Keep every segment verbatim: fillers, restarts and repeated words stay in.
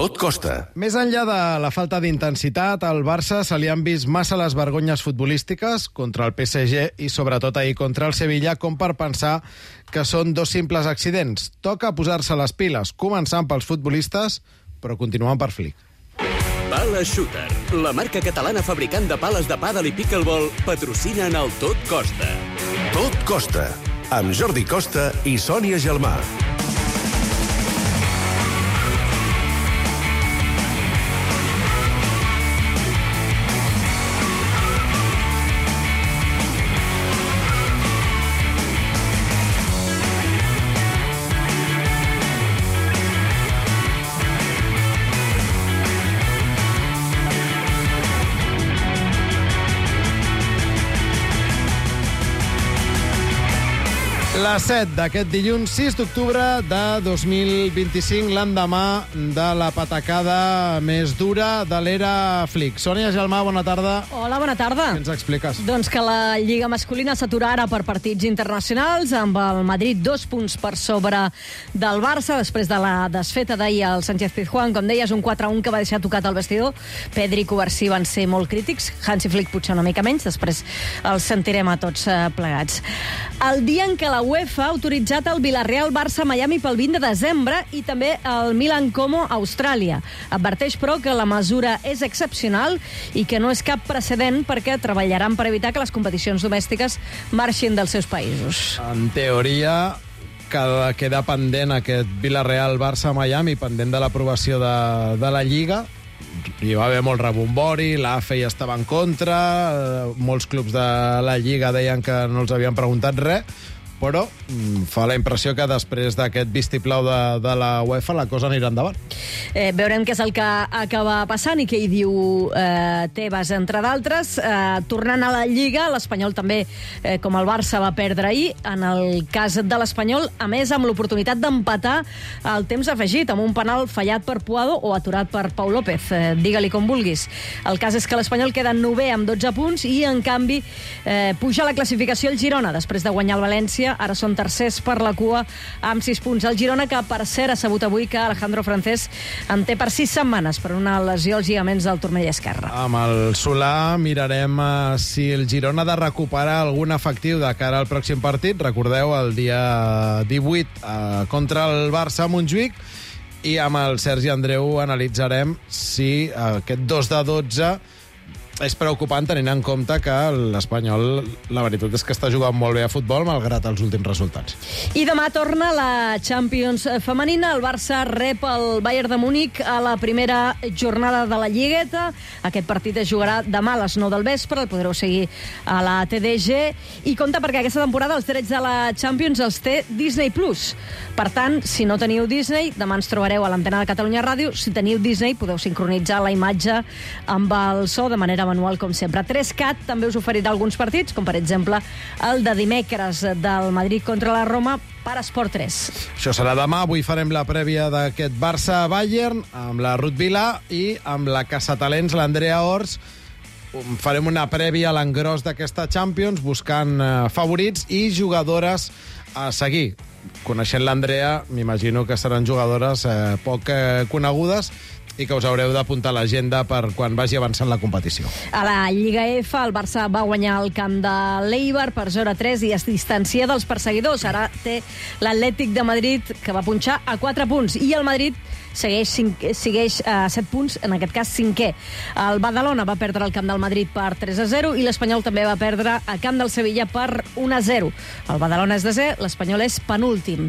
Tot costa. Més enllà de la falta d'intensitat, al Barça se li han vist massa les vergonyes futbolístiques contra el P S G i sobretot ahir contra el Sevilla com per pensar que són dos simples accidents. Toca posar-se les piles, començant pels futbolistes, però continuant per Flick. Pala Shooter, la marca catalana fabricant de pales de pàdel i pickleball, patrocina en el Tot Costa. Tot costa, amb Jordi Costa i Sònia Gelmà. La set d'aquest dilluns sis d'octubre de dos mil vint-i-cinc, l'endemà de la patacada més dura de l'era Flick. Sònia Gelmà, bona tarda. Hola, bona tarda. Què ens expliques? Doncs que la Lliga masculina s'atura ara per partits internacionals, amb el Madrid dos punts per sobre del Barça, després de la desfeta d'ahir al Sánchez-Pizjuán. Com deies, un quatre a un que va deixar tocat el vestidor. Pedri i Covarsí van ser molt crítics, Hansi Flick potser una mica menys, després els sentirem a tots plegats. El dia en què la UEFA ha autoritzat el Villarreal-Barça-Miami pel vint de desembre i també el Milan-Como a Austràlia. Adverteix, però, que la mesura és excepcional i que no és cap precedent perquè treballaran per evitar que les competicions domèstiques marxin dels seus països. En teoria, queda, queda pendent aquest Villarreal-Barça-Miami, pendent de l'aprovació de, de la Lliga. Hi va haver molt rebombori, l'A F E hi estava en contra, molts clubs de la Lliga deien que no els havien preguntat res, però mm, fa la impressió que després d'aquest vistiplau de, de la UEFA la cosa anirà endavant. Eh, veurem què és el que acaba passant i què hi diu eh, Tebas, entre d'altres. Eh, tornant a la Lliga, l'Espanyol també, eh, com el Barça, va perdre ahir. En el cas de l'Espanyol, a més, amb l'oportunitat d'empatar el temps afegit, amb un penal fallat per Puado o aturat per Pau López. Eh, digue-li com vulguis. El cas és que l'Espanyol queda novè amb dotze punts i, en canvi, eh, puja la classificació el Girona, després de guanyar el València. Ara són tercers per la cua amb sis punts. El Girona, que per cert ha sabut avui que Alejandro Francés en té per sis setmanes per una lesió als lligaments del turmell esquerre. Amb el Solà mirarem uh, si el Girona ha de recuperar algun efectiu de cara al pròxim partit. Recordeu, el dia divuit uh, contra el Barça a Montjuïc, i amb el Sergi Andreu analitzarem si uh, aquest dos de dotze és preocupant, tenint en compte que l'Espanyol, la veritat és que està jugant molt bé a futbol, malgrat els últims resultats. I demà torna la Champions femenina. El Barça rep el Bayern de Múnich a la primera jornada de la Lligueta. Aquest partit es jugarà demà a les nou del vespre, el podreu seguir a la T D G. I compte, perquè aquesta temporada els drets de la Champions els té Disney Plus. Per tant, si no teniu Disney, demà ens trobareu a l'antena de Catalunya Ràdio. Si teniu Disney, podeu sincronitzar la imatge amb el so de manera manual, com sempre. tres cat també us oferirà alguns partits, com per exemple el de dimecres del Madrid contra la Roma per Esport tres. Això serà demà. Avui farem la prèvia d'aquest Barça-Bayern amb la Ruth Vilà i amb la caçatalents, l'Andrea Ors. Farem una prèvia a l'engròs d'aquesta Champions, buscant eh, favorits i jugadores a seguir. Coneixent l'Andrea, m'imagino que seran jugadores eh, poc eh, conegudes i que us haureu d'apuntar a l'agenda per quan vagi avançant la competició. A la Lliga F, el Barça va guanyar el camp de l'Eibar per zero a tres i es distancia dels perseguidors. Ara té l'Atlètic de Madrid, que va punxar a quatre punts, i el Madrid segueix, cinc, segueix a set punts, en aquest cas cinquè. El Badalona va perdre el camp del Madrid per tres a zero i l'Espanyol també va perdre el camp del Sevilla per un a zero. El Badalona és desè, l'Espanyol és penúltim.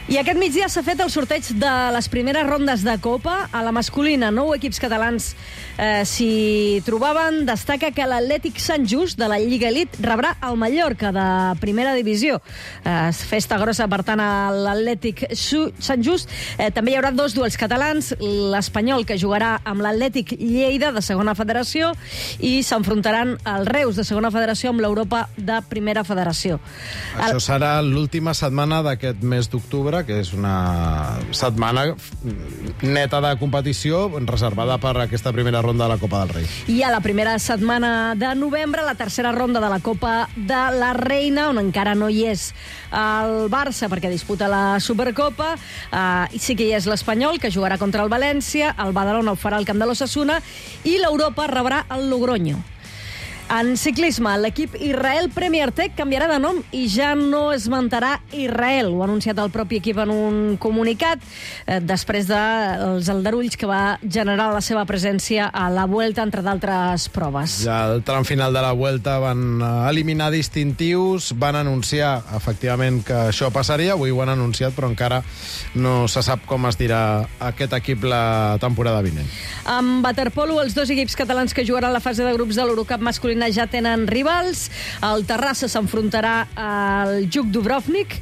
I aquest migdia s'ha fet el sorteig de les primeres rondes de Copa. A la masculina, nou equips catalans eh, s'hi trobaven. Destaca que l'Atlètic Sant Just, de la Lliga Elite, rebrà el Mallorca, de primera divisió. Eh, festa grossa, per tant, a l'Atlètic Sant Just. Eh, també hi haurà dos duels catalans, l'Espanyol, que jugarà amb l'Atlètic Lleida, de segona federació, i s'enfrontaran el Reus, de segona federació, amb l'Europa de primera federació. Això serà l'última setmana d'aquest mes d'octubre, que és una setmana neta de competició qualificació reservada per aquesta primera ronda de la Copa del Rei. I a la primera setmana de novembre, la tercera ronda de la Copa de la Reina, on encara no hi és el Barça perquè disputa la Supercopa, eh, sí que hi és l'Espanyol, que jugarà contra el València, el Badalona ho farà al camp de l'Osasuna i l'Europa rebrà el Logroño. En ciclisme, l'equip Israel Premier Tech canviarà de nom i ja no esmentarà Israel. Ho ha anunciat el propi equip en un comunicat eh, després dels aldarulls que va generar la seva presència a la Vuelta, entre d'altres proves. Ja al tram final de la Vuelta van eliminar distintius, van anunciar efectivament que això passaria, avui ho han anunciat, però encara no se sap com es dirà aquest equip la temporada vinent. En waterpolo, els dos equips catalans que jugaran la fase de grups de l'Eurocup masculina ja tenen rivals. El Terrassa s'enfrontarà al Juk Dubrovnik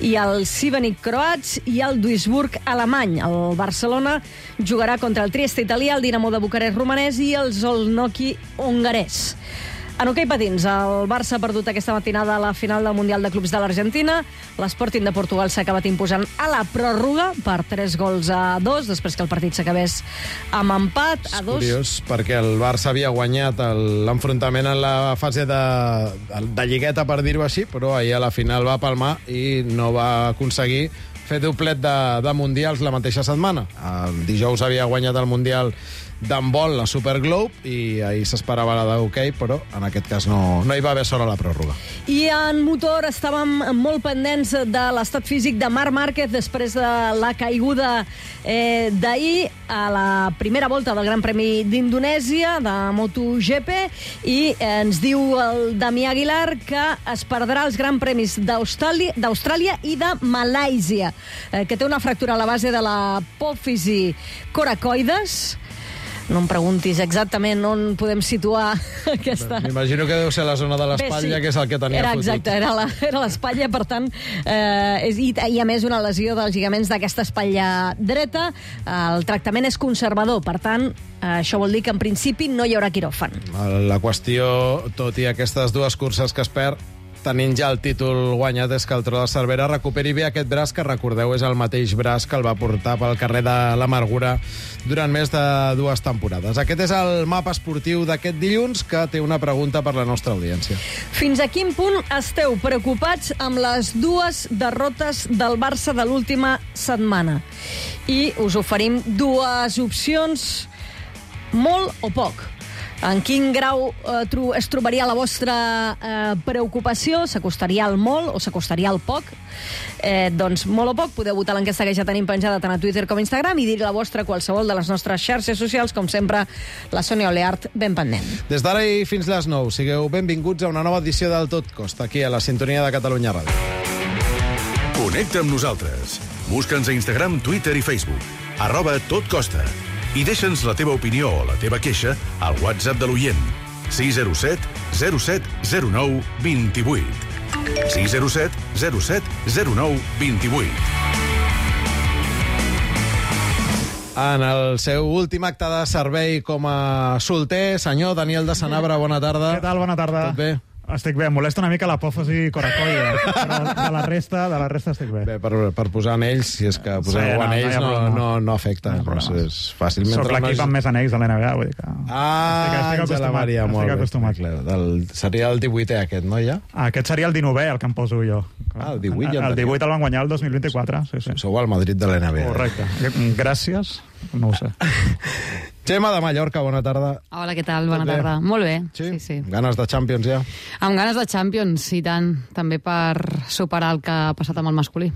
i el Šibenik croats i el Duisburg alemany. El Barcelona jugarà contra el Trieste italià, el Dinamo de Bucarest romanès i el Zolnoki hongarès. En hoquei patins, el Barça ha perdut aquesta matinada a la final del Mundial de Clubs de l'Argentina. L'Sporting de Portugal s'ha acabat imposant a la pròrroga per tres gols a dos, després que el partit s'acabés amb empat a dos. És curiós, perquè el Barça havia guanyat l'enfrontament en la fase de, de lligueta, per dir-ho així, però ahir a la final va palmar i no va aconseguir fer doblet de, de Mundials la mateixa setmana. El dijous havia guanyat el Mundial d'handbol, la Super Globe, i ahir s'esperava la d'hoquei, però en aquest cas no, no hi va haver sort a la pròrroga. I en motor estàvem molt pendents de l'estat físic de Marc Márquez després de la caiguda eh, d'ahir a la primera volta del Gran Premi d'Indonèsia, de MotoGP, i eh, ens diu el Damià Aguilar que es perdrà els Gran Premis d'Austràlia i de Malàisia, eh, que té una fractura a la base de l'apòfisi coracoides. No em preguntis exactament on podem situar aquesta... M'imagino que deu ser la zona de l'espatlla, sí, que és el que tenia era, fotut. Exacte, era la, era l'espatlla, per tant, eh, és, i, i a més una lesió dels lligaments d'aquesta espatlla dreta. El tractament és conservador, per tant, eh, això vol dir que en principi no hi haurà quiròfan. La qüestió, tot i aquestes dues curses que es perd, tenint ja el títol guanyat, és que el Tro de Cervera recuperi bé aquest braç, que recordeu és el mateix braç que el va portar pel carrer de l'Amargura durant més de dues temporades. Aquest és el mapa esportiu d'aquest dilluns, que té una pregunta per la nostra audiència. Fins a quin punt esteu preocupats amb les dues derrotes del Barça de l'última setmana? I us oferim dues opcions, molt o poc. En quin grau eh, tro es trobaria la vostra eh, preocupació? S'acostaria al molt o s'acostaria al poc? Eh, doncs molt o poc, podeu votar l'enquesta que ja tenim penjada tant a Twitter com a Instagram i dir la vostra a qualsevol de les nostres xarxes socials, com sempre, la Sònia Oleart ben pendent. Des d'ara i fins les nou, sigueu benvinguts a una nova edició del Tot Costa, aquí a la sintonia de Catalunya Ràdio. Connecta amb nosaltres. Busca'ns a Instagram, Twitter i Facebook. Arroba Tot Costa. I deixa'ns la teva opinió o la teva queixa al WhatsApp de l'oient. sis zero set zero set zero nou dos vuit. sis zero set zero set zero nou dos vuit. En el seu últim acte de servei com a solter, senyor Daniel de Sanabra, bona tarda. Què tal? Bona tarda. Tot bé? Estic bé, em molesta una mica l'apòfisi coracoide, però de la resta, de la resta estic bé. Bé, per, per posar anells, si és que posar Sí, no, anells no hi ha no, problema. no, no afecta. No hi ha Doncs problema. és fàcil. Soc Mentre l'equip no- amb més anells de l'N B A, vull dir que... Ah, estic, estic Àngela acostumat, Maria, molt estic bé. acostumat. Clar, del, seria el divuitè aquest, no, ja? Aquest seria el dinovè, el que em poso jo. Ah, el divuit ja en El tenia. divuit el van guanyar el dos mil vint-i-quatre, sí, sí. Sou al Madrid de l'N B A. Correcte. Gràcies, no ho sé. Gemma de Mallorca, bona tarda. Hola, què tal? Bona Tot bé? tarda. Molt bé. Sí? Sí, sí. Ganes de Champions ja? Amb ganes de Champions, i tant. També per superar el que ha passat amb el masculí.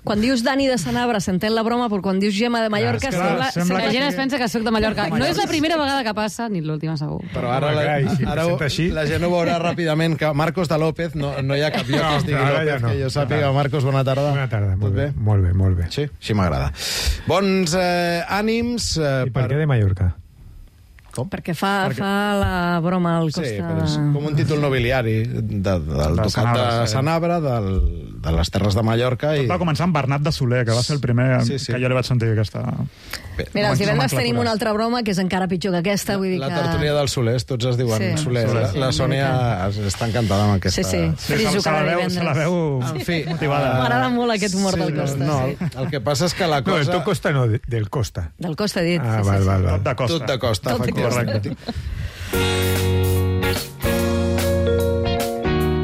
Quan dius Dani de Sanabra s'entén la broma, però quan dius Gemma de Mallorca és que, clar, sembla... sembla La que gent sí. es pensa que sóc de Mallorca. No és la primera vegada que passa, ni l'última segur. Però ara, Home, la, clar, i si ara presenta així. la gent ho veurà ràpidament, que Marcos de López, no, no hi ha cap lloc No, que estigui ara López, ja no. que jo sàpiga. Marcos, bona tarda. Bona tarda, Tot molt bé. bé? Molt bé, molt bé. Sí, així m'agrada. Bons eh, ànims... Eh, I per què de Mallorca? Com? Perquè fa, Perquè... fa la broma al Costa... Sí, però és com un títol nobiliari de, del de ducat Sanabra, de Sanabra, del, de les Terres de Mallorca. Tot i... va començar amb Bernat de Soler, que va ser el primer sí, sí. que jo li vaig sentir aquesta... Bé, Mira, els divendres tenim una altra broma que és encara pitjor que aquesta. Vull dir la que... tertúlia dels Solers, tots es diuen sí. Solers. Sí, la, sí, la Sònia està encantada amb aquesta... Sí, sí, sí se, se, la veu, se la veu en fi, motivada. M'agrada molt aquest humor sí, del Costa. No, sí. el que passa és que la cosa... No, el tu Costa no, del Costa. Del Costa, he dit. Ah, sí, val, sí, val, sí. val. Tot de Costa. Tot de Costa, Tot de efectivament.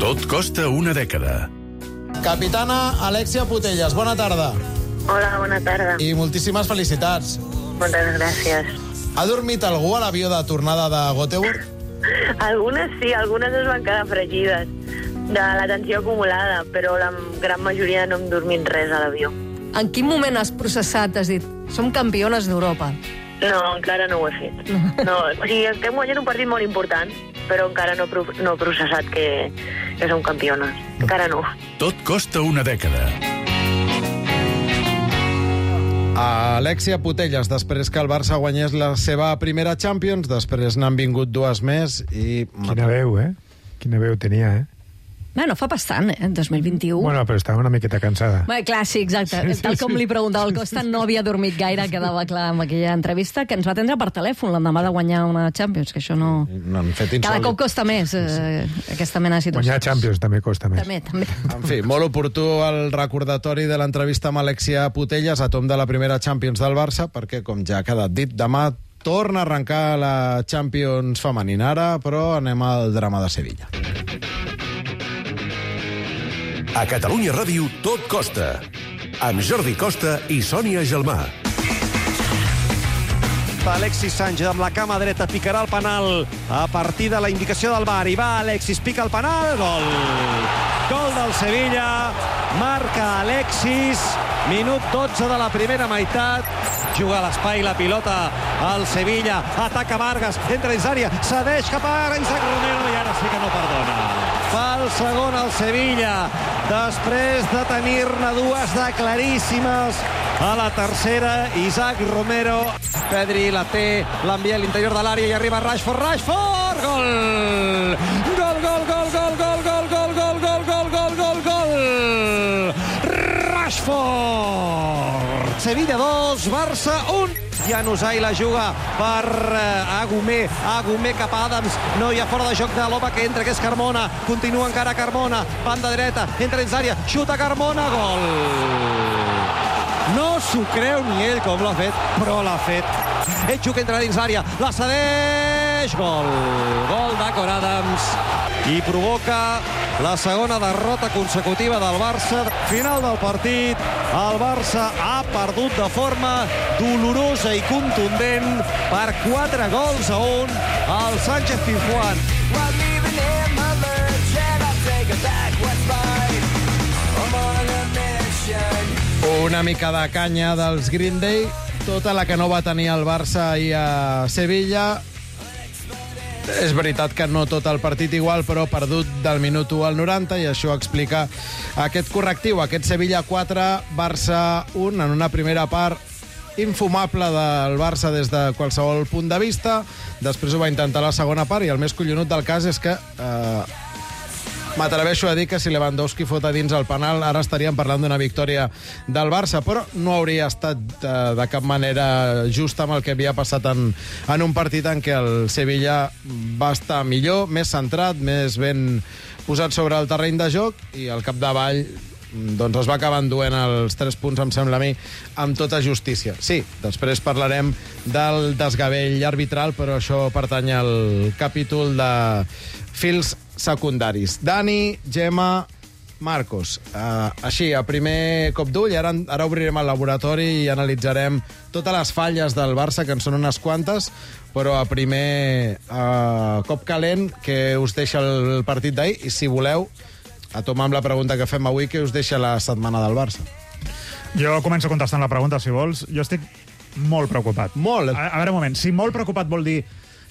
Tot costa una dècada. Capitana Alexia Putellas, bona tarda. Hola, bona tarda. I moltíssimes felicitats. Moltes gràcies. Ha dormit algú a l'avió de tornada de Göteborg? Algunes sí, algunes es van quedar fregides de la tensió acumulada, però la gran majoria no hem dormit res a l'avió. En quin moment has processat, has dit, som campiones d'Europa? No, encara no ho he fet. No, o sigui, estem guanyant un partit molt important, però encara no, pro no he processat que, que som campiones. Encara no. Tot costa una dècada. Alexia Putellas, després que el Barça guanyés la seva primera Champions, després n'han vingut dues més i... Quina veu, eh? Quina veu tenia, eh? Bueno, fa bastant, eh? dos mil vint-i-u. Bueno, però estava una miqueta cansada. Bé, clar, sí, exacte. Sí, sí, Tal com li preguntava el Costa, no havia dormit gaire, quedava clar amb aquella entrevista, que ens va atendre per telèfon l'endemà de guanyar una Champions, que això no... no han fet Cada insòlit. cop costa més eh, aquesta mena de situacions. Guanyar Champions també costa més. També, també. En fi, molt oportú el recordatori de l'entrevista amb Alexia Putellas a tom de la primera Champions del Barça, perquè, com ja ha quedat dit, demà torna a arrencar la Champions femenina ara, però anem al drama de Sevilla. A Catalunya Ràdio, Tot Costa. Amb Jordi Costa i Sònia Gelmà. Alexis Sánchez amb la cama dreta picarà el penal a partir de la indicació del V A R. I va Alexis, pica el penal, gol. Gol del Sevilla, marca Alexis, minut dotze de la primera meitat. Juga a l'espai la pilota al Sevilla, ataca Vargas, entra dins l'àrea, cedeix cap a Isaac Romero i ara sí que no perdona. Fa el segon al Sevilla, després de tenir-ne dues de claríssimes. A la tercera, Isaac Romero. Pedri la té, l'envia a l'interior de l'àrea i arriba Rashford. Rashford! Gol! Gol, gol, gol, gol, gol, gol, gol, gol, gol, gol, gol, gol, gol! Rashford! Sevilla dos, Barça un. Januzaj la juga per uh, Agumé. Agumé cap a Adams. No hi ha fora de joc de l'home que entra, que és Carmona. Continua encara Carmona. Banda dreta, entra dins l'àrea, xuta Carmona, gol! No s'ho creu ni ell com l'ha fet, però l'ha fet. Etxuk entra dins l'àrea, la cedeix, gol! Gol d'Acor Adams. I provoca la segona derrota consecutiva del Barça. Final del partit, el Barça ha perdut de forma dolorosa i contundent per quatre gols a un al Sánchez Pizjuán. Una mica de canya dels Green Day, tota la que no va tenir el Barça ahir a Sevilla. És veritat que no tot el partit igual, però perdut del minut u al noranta, i això explica aquest correctiu, aquest Sevilla quatre, Barça un, en una primera part infumable del Barça des de qualsevol punt de vista. Després ho va intentar la segona part, i el més collonut del cas és que eh, m'atreveixo a dir que si Lewandowski fot a dins el penal, ara estaríem parlant d'una victòria del Barça, però no hauria estat eh, de cap manera just amb el que havia passat en, en un partit en què el Sevilla va estar millor, més centrat, més ben posat sobre el terreny de joc, i al capdavall doncs es va acabar enduent els tres punts, em sembla a mi, amb tota justícia. Sí, després parlarem del desgavell arbitral, però això pertany al capítol de fils secundaris. Dani, Gemma, Marcos. Uh, així, a primer cop d'ull, ara, ara obrirem el laboratori i analitzarem totes les falles del Barça, que en són unes quantes, però a primer uh, cop calent, que us deixa el partit d'ahir, i si voleu, a tomar amb la pregunta que fem avui, que us deixa la setmana del Barça. Jo començo contestant la pregunta, si vols. Jo estic molt preocupat. Molt? A, a veure, un moment. Si molt preocupat vol dir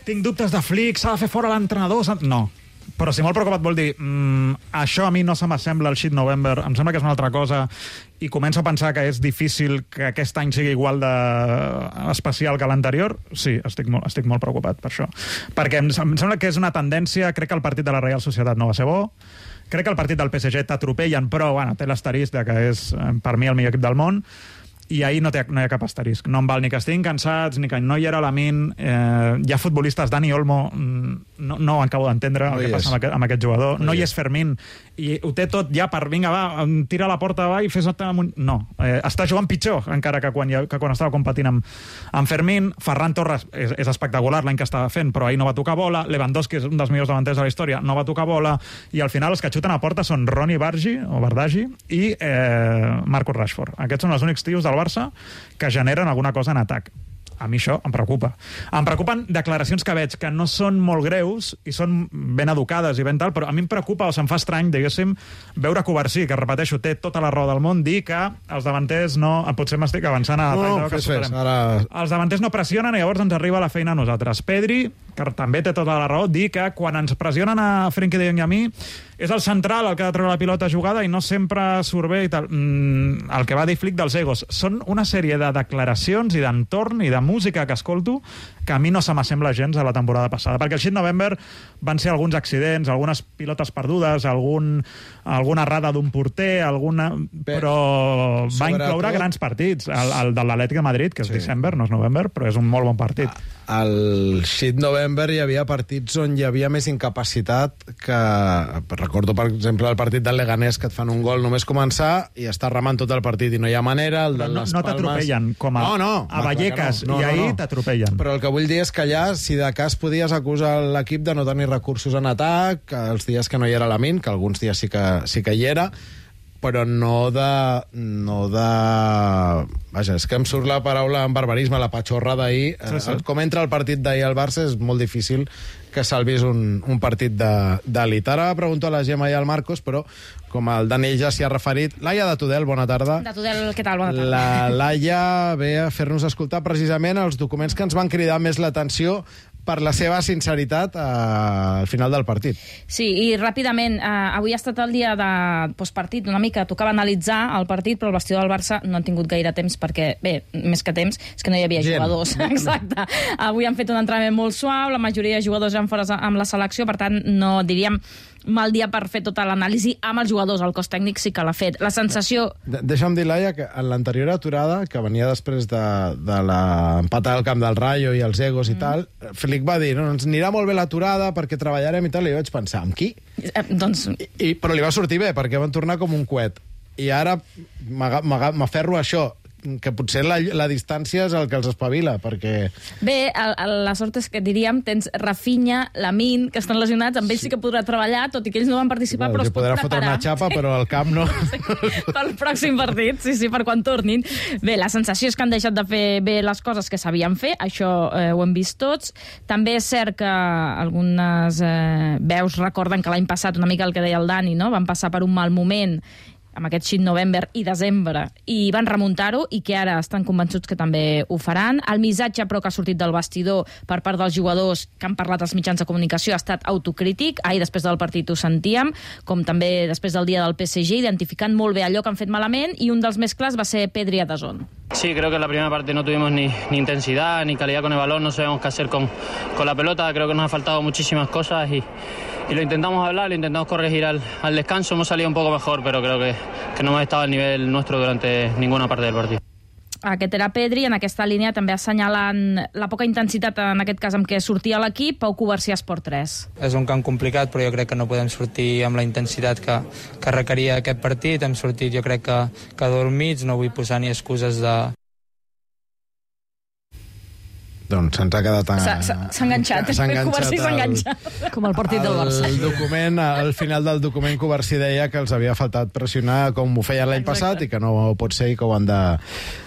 tinc dubtes de Flick, s'ha de fer fora l'entrenador... No. Però si molt preocupat vol dir mm, això a mi no se m'assembla al Shit November, em sembla que és una altra cosa, i començo a pensar que és difícil que aquest any sigui igual de especial que l'anterior. Sí, estic molt, estic molt preocupat per això. Perquè em, em sembla que és una tendència, crec que el partit de la Real Societat no va ser bo, crec que el partit del P S G t'atropellen, però bueno, té l'asterisc de que és, per mi, el millor equip del món, i ahir no, té, no hi ha cap asterisc. No em val ni que estiguin cansats, ni que no hi era Lamin. Eh, hi ha futbolistes, Dani Olmo, no, no ho acabo d'entendre, no el que passa amb aquest, amb aquest jugador. No, no hi és Fermín, i ho té tot ja per, vinga, va, tira la porta, va, i fes... No, eh, està jugant pitjor, encara que quan, que quan estava competint amb, amb Fermín. Ferran Torres és, és espectacular l'any que estava fent, però ahir no va tocar bola. Lewandowski és un dels millors davanters de la història, no va tocar bola, i al final els que xuten a porta són Ronny Bargi, o Bardagi, i eh, Marcus Rashford. Aquests són els únics tios del Barça que generen alguna cosa en atac. A mi això em preocupa. Em preocupen declaracions que veig que no són molt greus i són ben educades i ben tal, però a mi em preocupa o se'm fa estrany, diguéssim, veure Covarsí, que repeteixo, té tota la raó del món, dir que els davanters no... Potser m'estic avançant a... No, no, fes, fes, ara... Els davanters no pressionen i llavors ens arriba la feina a nosaltres. Pedri, que també té tota la raó, dir que quan ens pressionen a Frenkie de Jong i a mi és el central el que ha de treure la pilota jugada i no sempre surt bé i tal. Mm, el que va dir Flick dels egos. Són una sèrie de declaracions i d'entorn i de música que escolto que a mi no se m'assembla gens a la temporada passada. Perquè el Shit November van ser alguns accidents, algunes pilotes perdudes, algun, alguna errada d'un porter, alguna... però va incloure grans partits. El, el de l'Atlètic de Madrid, que és sí. December, no és November, però és un molt bon partit. Al Shit November hi havia partits on hi havia més incapacitat que... Recordo, per exemple, el partit del Leganés, que et fan un gol només començar i està remant tot el partit i no hi ha manera. El de no les no t'atropellen, com a, no, no, a Vallecas, no, no, i ahir no, no. t'atropellen. Però el que vull dir és que allà, si de cas podies acusar l'equip de no tenir recursos en atac, els dies que no hi era Lamin, que alguns dies sí que, sí que hi era, però no de... no de... Vaja, és que em surt la paraula en barbarisme, la patxorra d'ahir. Sí, sí. Com entra el partit d'ahir al Barça és molt difícil que salvis un, un partit d'elit. Ara pregunto a la Gemma i al Marcos, però com el Daniel ja s'hi ha referit... Laia de Tudel, bona tarda. De Tudel, què tal? Bona tarda. La Laia ve a fer-nos escoltar precisament els documents que ens van cridar més l'atenció per la seva sinceritat eh, al final del partit. Sí, i ràpidament, eh, avui ha estat el dia de postpartit, una mica tocava analitzar el partit, però el vestidor del Barça no han tingut gaire temps perquè, bé, més que temps, és que no hi havia Gent. jugadors. Exacte. Avui han fet un entrenament molt suau, la majoria de jugadors eren fora amb la selecció, per tant, no diríem mal dia per fer tota l'anàlisi amb els jugadors. El cos tècnic sí que l'ha fet. La sensació... De Deixa'm dir, Laia, que en l'anterior aturada, que venia després de, de l'empat al camp del Rayo i els egos mm. i tal, Flick va dir, no, ens anirà molt bé l'aturada perquè treballarem i tal, i jo vaig pensar, amb qui? Eh, doncs... I, i, però li va sortir bé, perquè van tornar com un coet. I ara m'aferro a això, que potser la, la distància és el que els espavila, perquè... Bé, el, el, la sort és que, diríem, tens Rafinha, Lamin, que estan lesionats, amb ells sí que podrà treballar, tot i que ells no van participar, sí, però es pot podrà preparar. Fotre una xapa, però al camp no. Sí, pel pròxim partit, sí, sí, per quan tornin. Bé, la sensació és que han deixat de fer bé les coses que sabien fer, això eh, ho hem vist tots. També és cert que algunes eh, veus recorden que l'any passat, una mica el que deia el Dani, no? Van passar per un mal moment amb aquest Shit November i desembre, i van remuntar-ho, i que ara estan convençuts que també ho faran. El missatge, però, que ha sortit del vestidor per part dels jugadors que han parlat als mitjans de comunicació ha estat autocrític. Ahir, després del partit, ho sentíem, com també després del dia del P S G, identificant molt bé allò que han fet malament, i un dels més clars va ser Pedri a DAZN. Sí, creo que en la primera parte no tuvimos ni, ni intensidad, ni calidad con el balón, no sabemos qué hacer con, con la pelota, creo que nos ha faltado muchísimas cosas y, y lo intentamos hablar, lo intentamos corregir al, al descanso, hemos salido un poco mejor, pero creo que, que no hemos estado al nivel nuestro durante ninguna parte del partido. Aquest era Pedri, en aquesta línia també assenyalant la poca intensitat, en aquest cas amb què sortia l'equip. Pau Covarsí, Esport tres. És un camp complicat, però jo crec que no podem sortir amb la intensitat que, que requeria aquest partit. Hem sortit, jo crec que, que dormits, no vull posar ni excuses de... Doncs se'ns ha quedat... A... S'ha enganxat, s'ha enganxat, Covarsí s'ha enganxat. Com el partit del Barça. El document, al final del document, Covarsí deia que els havia faltat pressionar com ho feien l'any passat i que no pot ser i que ho han de,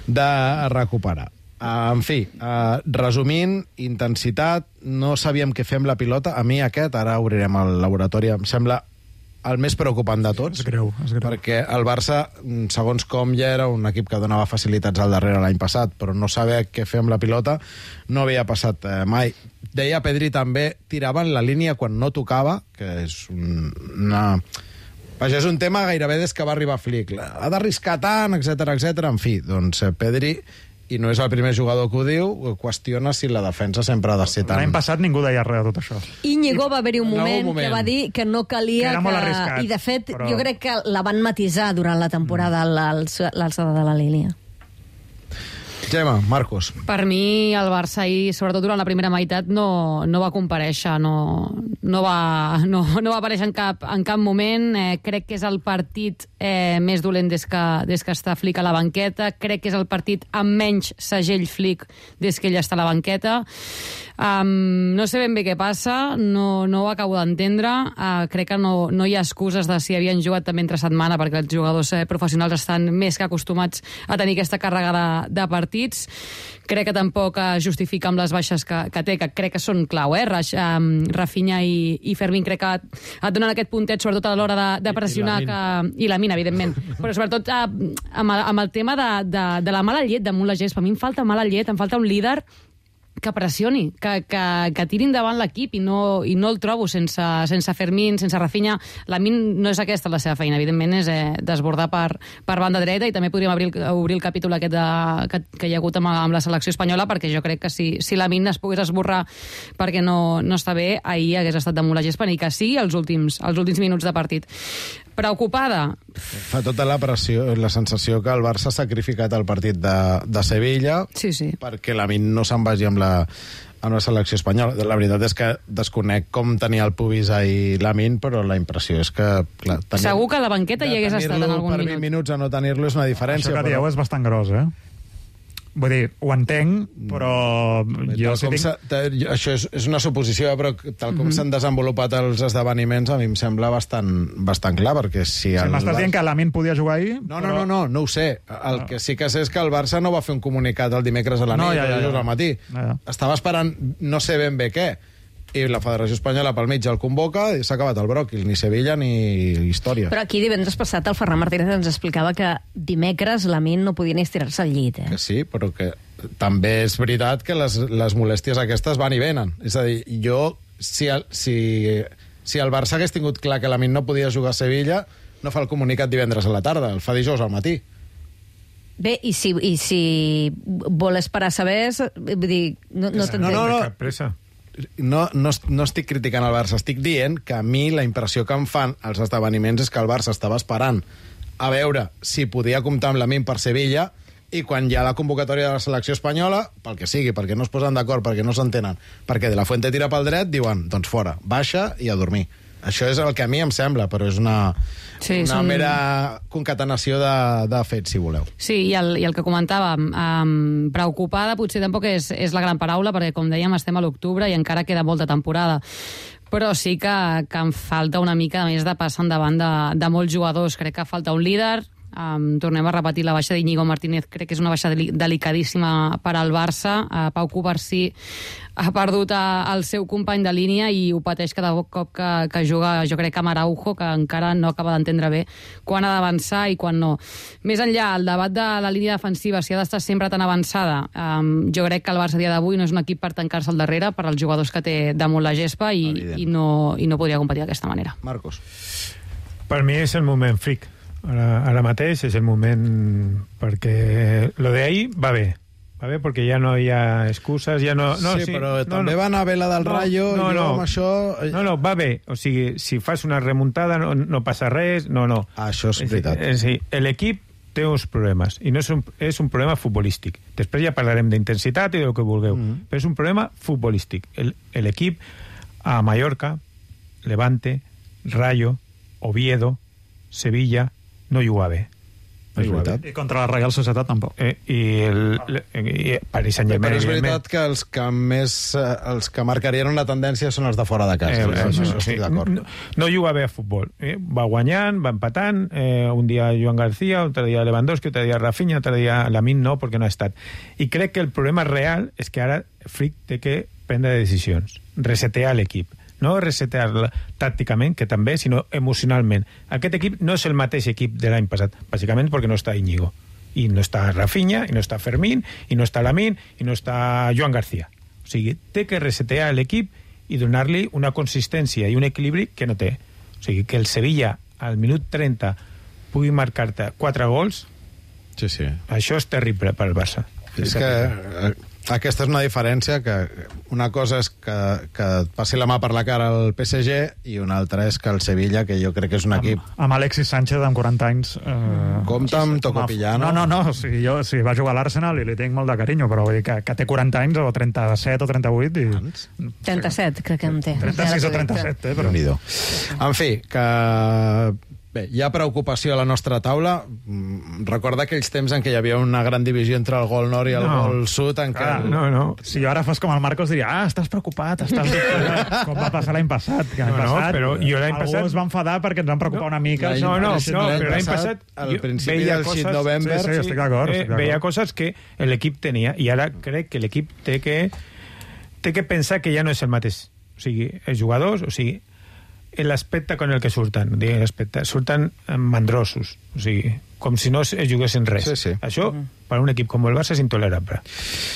de recuperar. Uh, en fi, uh, resumint, intensitat, no sabíem què fer amb la pilota. A mi aquest, ara obrirem el laboratori, em sembla el més preocupant de tots. És greu, és greu. Perquè el Barça, segons com ja era un equip que donava facilitats al darrere l'any passat, però no saber què fer amb la pilota no havia passat eh, mai. Deia Pedri també, tiraven la línia quan no tocava, que és un, una, Això és un tema gairebé des que va arribar Flick. Ha d'arriscar tant, etcètera, etcètera. En fi, doncs Pedri, i no és el primer jugador que ho diu, qüestiona si la defensa sempre ha de ser tan... L'any passat ningú deia res de tot això. Íñigo va haver-hi un En algun moment, moment. que va dir que no calia... Que era molt arriscat, I, de fet, però- jo crec que la van matisar durant la temporada a l'alçada de la línia. Gemma, Marcos. Per mi, el Barça ahir, sobretot durant la primera meitat, no, no va comparèixer, no, no, va, no, no va aparèixer en cap, en cap moment. Eh, crec que és el partit eh, més dolent des que, des que està Flick a la banqueta. Crec que és el partit amb menys segell Flick des que ell està a la banqueta. Um, no sé ben bé què passa, no, no ho acabo d'entendre. Uh, crec que no, no hi ha excuses de si havien jugat també entre setmana, perquè els jugadors eh, professionals estan més que acostumats a tenir aquesta càrrega de, de partits. Crec que tampoc es justifica amb les baixes que, que té, que crec que són clau, eh? Raj, um, Rafinha i, i Fermín crec que et donen aquest puntet, sobretot a l'hora de, de pressionar, I, i, que, i la mina, evidentment. Però sobretot uh, amb, el, amb el tema de, de, de la mala llet damunt la gespa. A mi em falta mala llet, em falta un líder que pressioni, que, que, que tiri endavant l'equip, i no, i no el trobo sense, sense Fermín, sense Rafinha. Lamin no és aquesta la seva feina, evidentment és eh, desbordar per, per banda dreta, i també podríem obrir, obrir el capítol aquest de, que, que hi ha hagut amb, amb la selecció espanyola, perquè jo crec que si, si Lamin es pogués esborrar perquè no, no està bé, ahir hagués estat damunt la gespa, ni que sigui els últims, els últims minuts de partit. Preocupada? Fa tota la pressió, la sensació que el Barça ha sacrificat el partit de, de Sevilla, sí, sí. perquè Lamin no se'n vagi amb la, amb la selecció espanyola. La veritat és que desconec com tenia el pubis ahir Lamin, però la impressió és que... Clar, tenir, segur que a la banqueta hi hagués estat en algun per minut. vint minuts a no tenir-lo és una diferència. Això que dieu però... és bastant gros, eh? Vull dir, ho entenc, però jo sí tinc... Te, això és, és una suposició, però tal com mm -hmm. s'han desenvolupat els esdeveniments, a mi em sembla bastant, bastant clar, perquè si... Si el m'estàs Barça... dient que Lamin podia jugar ahir... No, però... no, no, no, no ho sé. El no. que sí que sé és que el Barça no va fer un comunicat el dimecres a la nit, no, ja, ja, ja. o al matí. Ja, ja. Estava esperant no sé ben bé què, i la Federació Espanyola pel mig el convoca i s'ha acabat el bròquil, ni Sevilla ni història. Però aquí divendres passat el Ferran Martínez ens explicava que dimecres Lamin no podia ni estirar-se al llit, eh? Que sí, però que també és veritat que les, les molèsties aquestes van i venen. És a dir, jo, si el, si, si el Barça hagués tingut clar que Lamin no podia jugar a Sevilla, no fa el comunicat divendres a la tarda, el fa dijous al matí. Bé, i si, i si vol esperar a saber, vull dir, no, no t'entenc. No, no, no. Cap pressa. No, no, no estic criticant el Barça, estic dient que a mi la impressió que em fan els esdeveniments és que el Barça estava esperant a veure si podia comptar amb Lamin per Sevilla, i quan hi ha la convocatòria de la selecció espanyola, pel que sigui, perquè no es posen d'acord, perquè no s'entenen, perquè De La Fuente tira pel dret, diuen, doncs fora, baixa i a dormir. Això és el que a mi em sembla, però és una, sí, una són... mera concatenació de, de fets, si voleu. Sí, i el, i el que comentàvem, um, preocupada potser tampoc és, és la gran paraula, perquè, com dèiem, estem a l'octubre i encara queda molta temporada. Però sí que, que em falta una mica més de passar endavant de, de molts jugadors. Crec que falta un líder. Um, tornem a repetir la baixa d'Iñigo Martínez, crec que és una baixa deli delicadíssima per al Barça. uh, Pau Cubarsí ha perdut a, el seu company de línia i ho pateix cada cop que, que juga, jo crec que amb Araujo, que encara no acaba d'entendre bé quan ha d'avançar i quan no. Més enllà, el debat de la línia defensiva, si ha d'estar sempre tan avançada, um, jo crec que el Barça a dia d'avui no és un equip per tancar-se al darrere per als jugadors que té damunt la gespa, i, i, no, i no podria competir d'aquesta manera. Marcos. Per mi és el moment Flick. Ara, ara mateix és el moment, perquè lo de ahir va bé, va bé perquè ja no hi ha excuses, ja no... no sí, sí, però no, també no. va anar bé la del no, Rayo, no, i jo no. amb això... No, no, va bé, o sigui, si fas una remuntada no, no passa res, no, no. Ah, això és veritat. És, és, l'equip té uns problemes, i no és un, és un problema futbolístic. Després ja parlarem d'intensitat i del que vulgueu, mm. però és un problema futbolístic. L'equip a Mallorca, Levante, Rayo, Oviedo, Sevilla, no juga bé. No és veritat. I contra la Real Societat tampoc. Eh, I el i Paris Saint-Germain, però és veritat que els que més els que marcarien una tendència són els de fora de casa. Eh, eh, això, això estic d'acord. No, no juga bé a futbol. Eh? Va guanyant, va empatant, eh, un dia Joan García, un altre dia Lewandowski, un altre dia Rafinha, un altre dia Lamin no, perquè no ha estat. I crec que el problema real és que ara Flick té que prendre decisions, resetear l'equip. No resetear tàcticament, que també, sinó emocionalment. Aquest equip no és el mateix equip de l'any passat, bàsicament perquè no està Íñigo, i no està Rafinha, i no està Fermín, i no està Lamin, i no està Joan García. O sigui, té que resetear l'equip i donar-li una consistència i un equilibri que no té. O sigui, que el Sevilla al minut trenta pugui marcar-te quatre gols, sí, sí. Això és terrible per al Barça. És, és que eh, aquesta és una diferència que una cosa és que, que et passi la mà per la cara al P S G i una altra és que el Sevilla, que jo crec que és un equip... Amb, amb Alexis Sánchez, amb quaranta anys... Eh, Compte amb Tocopillano. No, no, no, o sigui, jo sí, va jugar a l'Arsenal i li tinc molt de carinyo, però vull dir que, que té quaranta anys o trenta-set o trenta-vuit i... trenta-set, crec que en té. trenta-sis o trenta-set, eh? Però... En fi, que... Bé, hi ha preocupació a la nostra taula. Recorda aquells temps en què hi havia una gran divisió entre el gol nord i el No. gol sud, en què... Ah, no, no. Si jo ara fos com el Marcos diria, ah, estàs preocupat, estàs dubtant, com va passar l'any passat. Que l'any No, no, passat, però jo l'any algú passat- es va enfadar perquè ens van preocupar una mica. No, no, no, L'any no, però l'any passat, passat al jo principi veia del coses- shit November... Sí, sí, estic d'acord, eh, estic d'acord. veia coses que l'equip tenia i ara crec que l'equip té que té que pensar que ja no és el mateix. O sigui, els jugadors, o sigui, l'aspecte con el que surten, diguem l'aspecte, surten mandrosos, o sigui, com si no es juguessin res. Sí, sí. Això, per un equip com el Barça, és intolerable.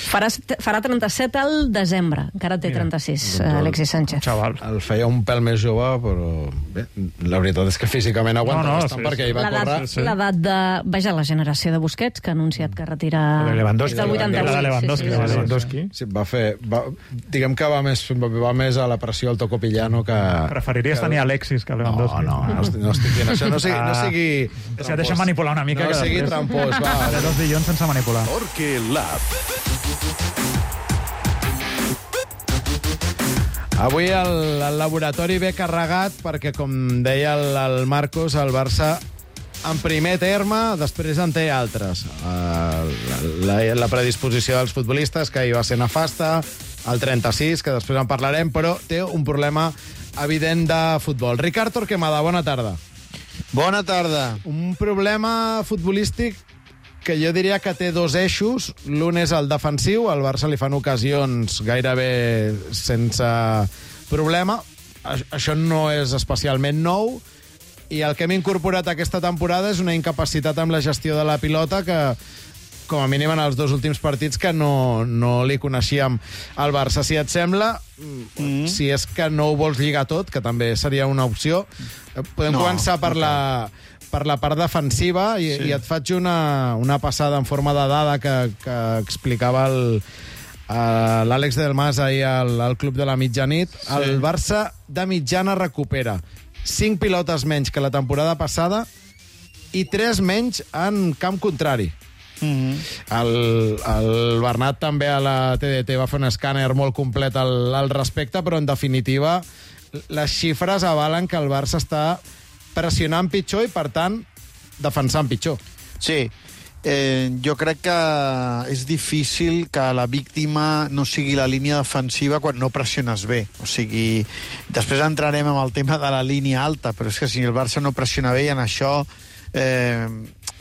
Farà, farà trenta-set al desembre. Encara té Mira, trenta-sis, doncs el- Alexis Sánchez. Xaval. El feia un pèl més jove, però bé, la veritat és que físicament aguanta No, no, bastant sí, perquè sí. hi va L'edat córrer... sí. l'edat de... Vaja, la generació de Busquets, que ha anunciat que retira... La de Lewandowski. Des del vuitanta-vuit. La de Lewandowski, sí, sí, la de sí. Lewandowski. Sí, va fer... Va, diguem que va més, va més a la pressió el Tocopillano que... Preferiries que... tenir Alexis que No, Lewandowski. no, no, estic, no estic dient això. No sigui... No Ah. sigui Deixa, deixa manipular una mica. No que sigui després- trampós, va. Faré dos dilluns sense manipular. Torque Lab. Avui el, el laboratori ve carregat perquè, com deia el, el Marcos, el Barça en primer terme, després en té altres. Uh, la, la predisposició dels futbolistes, que hi va ser nefasta, el trenta-sis, que després en parlarem, però té un problema evident de futbol. Ricard Torquemada, bona tarda. Bona tarda. Un problema futbolístic que jo diria que té dos eixos. L'un és el defensiu, al Barça li fan ocasions gairebé sense problema. Això no és especialment nou, i el que hem incorporat aquesta temporada és una incapacitat amb la gestió de la pilota que, com a mínim en els dos últims partits, que no, no li coneixíem al Barça. Si et sembla, mm. si és que no ho vols lligar tot, que també seria una opció, podem No, començar per no la... per la part defensiva i, sí. i et faig una, una passada en forma de dada que, que explicava el, uh, l'Àlex Del Mas ahir al, al Club de la Mitjanit. Sí. El Barça de mitjana recupera cinc pilotes menys que la temporada passada i tres menys en camp contrari. Mm-hmm. el, el Bernat també a la T D T va fer un escàner molt complet al, al respecte, però en definitiva les xifres avalen que el Barça està pressionant pitjor i, per tant, defensant pitjor. Sí, eh, jo crec que és difícil que la víctima no sigui la línia defensiva quan no pressiones bé. O sigui, després entrarem en el tema de la línia alta, però és que si el Barça no pressiona bé, i en això eh,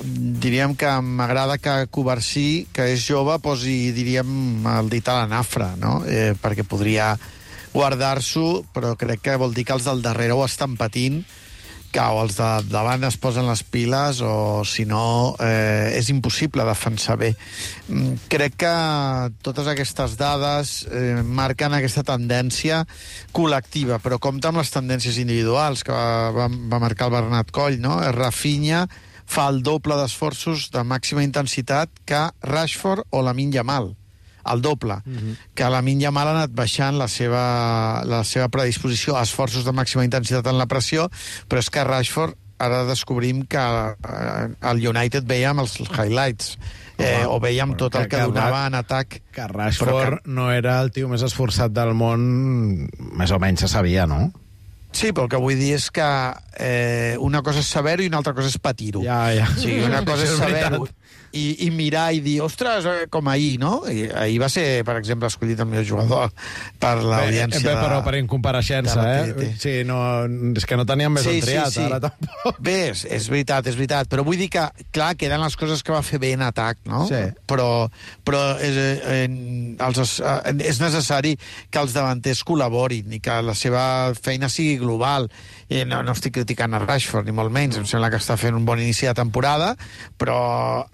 diríem que m'agrada que Covarsí, que és jove, posi, diríem, el dit a la nafra, no? Eh, perquè podria guardar-s'ho, però crec que vol dir que els del darrere ho estan patint, que o els de davant es posen les piles o, si no, eh, és impossible defensar bé. Mm, crec que totes aquestes dades eh, marquen aquesta tendència col·lectiva, però compta amb les tendències individuals que va, va, va marcar el Bernat Coll, no? Rafinha fa el doble d'esforços de màxima intensitat que Rashford o Lamine Yamal. El doble, uh-huh. que Lamine Yamal ha anat baixant la seva, la seva predisposició a esforços de màxima intensitat en la pressió, però és que Rashford ara descobrim que el United veiem els highlights, eh, o veiem tot el que, que donava en atac. Que Rashford que... no era el tio més esforçat del món, més o menys se sabia, no? Sí, però el que vull dir és que eh, una cosa és saber-ho i una altra cosa és patir-ho. Ja, ja. Sí, una cosa és saber-ho i, i mirar i dir, ostres, com ahir, no? I ahir va ser, per exemple, escollit el millor jugador per l'audiència. Bé, però per incompareixença, eh? Sí, no, és que no teníem més sí, un triat, sí, sí. ara tampoc. Bé, és, és veritat, és veritat, però vull dir que, clar, queden les coses que va fer bé en atac, no? Sí. Però, però és, eh, els, eh, és necessari que els davanters col·laborin i que la seva feina sigui global. I no, no estic criticant a Rashford, ni molt menys, em sembla que està fent un bon inici de temporada, però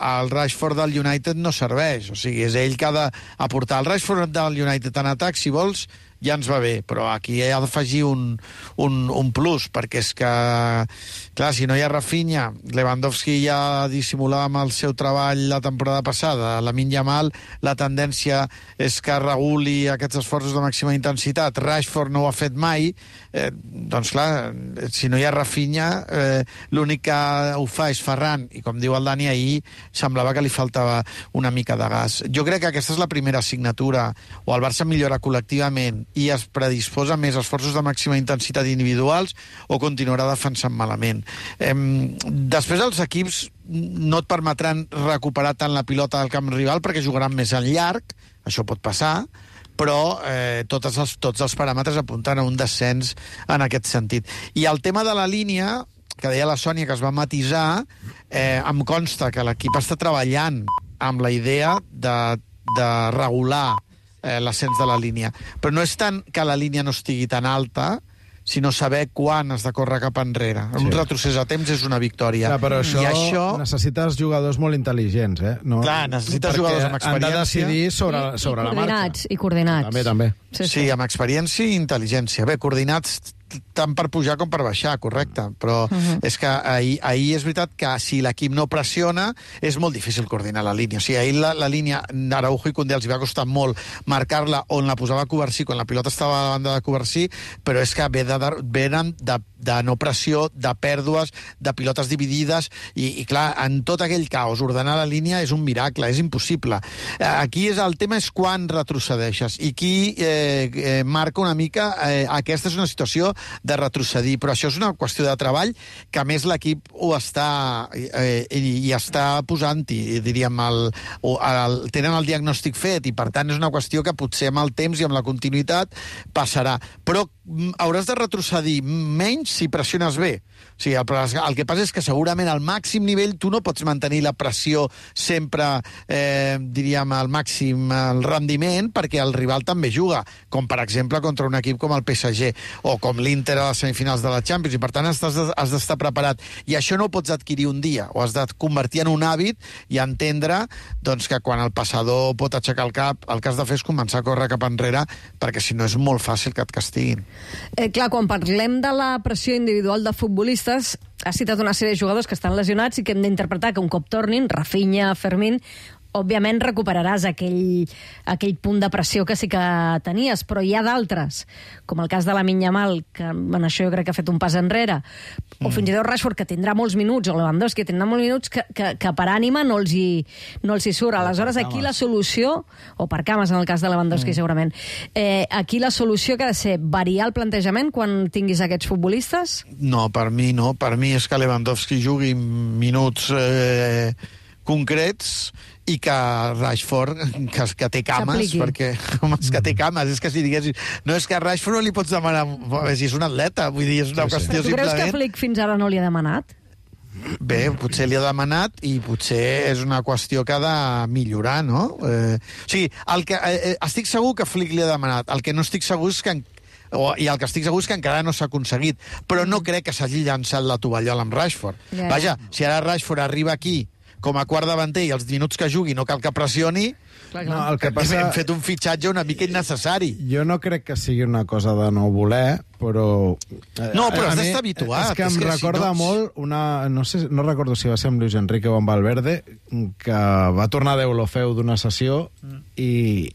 el Rashford del United no serveix, o sigui, és ell que ha d'aportar. El Rashford del United en atac, si vols, ja ens va bé, però aquí ha d'afegir un, un, un plus, perquè és que, clar, si no hi ha Rafinha, Lewandowski ja dissimulava amb el seu treball la temporada passada, Lamine Yamal, la tendència és que reguli aquests esforços de màxima intensitat, Rashford no ho ha fet mai, eh, doncs clar, si no hi ha Rafinha, eh, l'únic que ho fa és Ferran, i com diu el Dani, ahir semblava que li faltava una mica de gas. Jo crec que aquesta és la primera assignatura, o el Barça millora col·lectivament i es predisposa més esforços de màxima intensitat individuals, o continuarà defensant malament. Eh, després els equips no et permetran recuperar tant la pilota del camp rival perquè jugaran més en llarg, això pot passar, però eh, tots, els, tots els paràmetres apunten a un descens en aquest sentit. I el tema de la línia, que deia la Sònia, que es va matisar, eh, em consta que l'equip està treballant amb la idea de, de regular eh, l'ascens de la línia. Però no és tant que la línia no estigui tan alta, sinó saber quan has de córrer cap enrere. Sí. Un retrocés a temps és una victòria. Clar, però això, I això necessites jugadors molt intel·ligents, eh? No, clar, necessites jugadors amb experiència. Han de decidir sobre, sobre la marxa. Coordinats, i coordinats. També, també. Sí, sí. sí, amb experiència i intel·ligència. Bé, coordinats tant per pujar com per baixar, correcte. Però uh-huh. és que ahir, ahir és veritat que si l'equip no pressiona, és molt difícil coordinar la línia. O sigui, ahir la, la línia Araujo i Koundé els va costar molt marcar-la on la posava Covarsí, quan la pilota estava a la banda de Covarsí, però és que ve de, venen de, de no pressió, de pèrdues, de pilotes dividides, i, i clar, en tot aquell caos, ordenar la línia és un miracle, és impossible. Aquí és, el tema és quan retrocedeixes, i qui eh, eh, marca una mica, eh, aquesta és una situació de retrocedir, però això és una qüestió de treball que a més l'equip ho està eh, i, i està posant-hi, diríem, el, el, tenen el diagnòstic fet, i per tant és una qüestió que potser amb el temps i amb la continuïtat passarà, però hauràs de retrocedir menys si pressiones bé. O sigui, el, el que passa és que segurament al màxim nivell tu no pots mantenir la pressió sempre, eh, diríem, al màxim el rendiment, perquè el rival també juga, com per exemple contra un equip com el P S G o com l'Inter a les semifinals de la Champions, i per tant has d'estar preparat. I això no ho pots adquirir un dia, ho has de convertir en un hàbit i entendre doncs, que quan el passador pot aixecar el cap, el que has de fer és començar a córrer cap enrere, perquè si no és molt fàcil que et castiguin. Eh, clar, quan parlem de la pressió individual de futbolistes, has citat una sèrie de jugadors que estan lesionats i que hem d'interpretar que un cop tornin, Rafinha, Fermín, òbviament recuperaràs aquell, aquell punt de pressió que sí que tenies, però hi ha d'altres, com el cas de Lamine Yamal, que en això jo crec que ha fet un pas enrere, o fins i tot Rashford, que tindrà molts minuts, o Lewandowski, que tindrà molts minuts, que, que, que per ànima no els hi, no els hi surt. Aleshores, aquí la solució, o per cames en el cas de Lewandowski, mm. segurament, eh, aquí la solució que ha de ser variar el plantejament quan tinguis aquests futbolistes? No, per mi no. Per mi és que Lewandowski jugui minuts eh, concrets i que Rashford, que, que té cames, perquè, home, és que té cames, és que si diguessis, no, és que a Rashford no li pots demanar, si és un atleta, vull dir, és una sí, qüestió sí. simplement... Tu creus que Flick fins ara no li ha demanat? Bé, potser li ha demanat i potser és una qüestió que ha de millorar, no? Eh, o sigui, el que, eh, estic segur que Flick li ha demanat, el que no estic segur és que o, i el que estic segur és que encara no s'ha aconseguit, però no crec que s'hagi llançat la tovallola amb Rashford. Yeah. Vaja, si ara Rashford arriba aquí com a quart davanter i els minuts que jugui no cal que pressioni, no, el que passa... hem fet un fitxatge una mica innecessari. Jo no crec que sigui una cosa de no voler, però... No, però has d'estar habituat. És que em és que recorda si no... molt una... No, sé, no recordo si va ser amb Luis Enrique o amb Valverde, que va tornar d'Eulofeu d'una sessió i...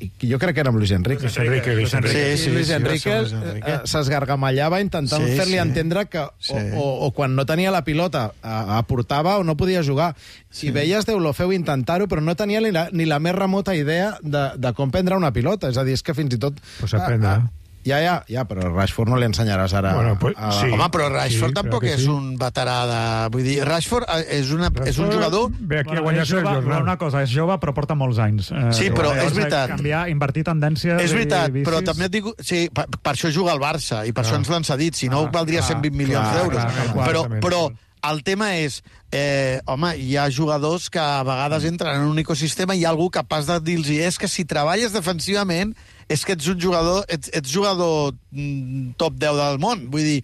i jo crec que era amb Luis Enrique. Luis Enrique, Luis Enrique. Sí, sí, Luis Enrique sí, sí, s'esgargamallava intentant sí, fer-li sí. entendre que sí. o, o, o quan no tenia la pilota aportava o no podia jugar. Sí. I veies Deulofeu intentar-ho, però no tenia ni la, ni la més remota idea de, de com prendre una pilota. És a dir, és que fins i tot... Pues aprendre. A, a, Ja, ja, ja, però Rashford no li ensenyaràs ara... Bueno, pues, a... sí. Home, però Rashford sí, tampoc és sí. un veterà de... Vull dir, Rashford és, una, Rashford és un jugador... Ve aquí bueno, a guanyar-se el jornal. Una cosa, és jove, però porta molts anys. Eh, sí, però llavors, és veritat. Canviar, invertir tendències és veritat, i vicis... però també et dic... Sí, per, per això juga al Barça, i per ah. això ens l'han cedit, si no ah, valdria ah, cent vint milions d'euros. Però, però el tema és... Eh, home, hi ha jugadors que a vegades entren en un ecosistema i hi ha algú capaç de dir-los és que si treballes defensivament és que ets un jugador, ets, ets jugador top deu del món. Vull dir,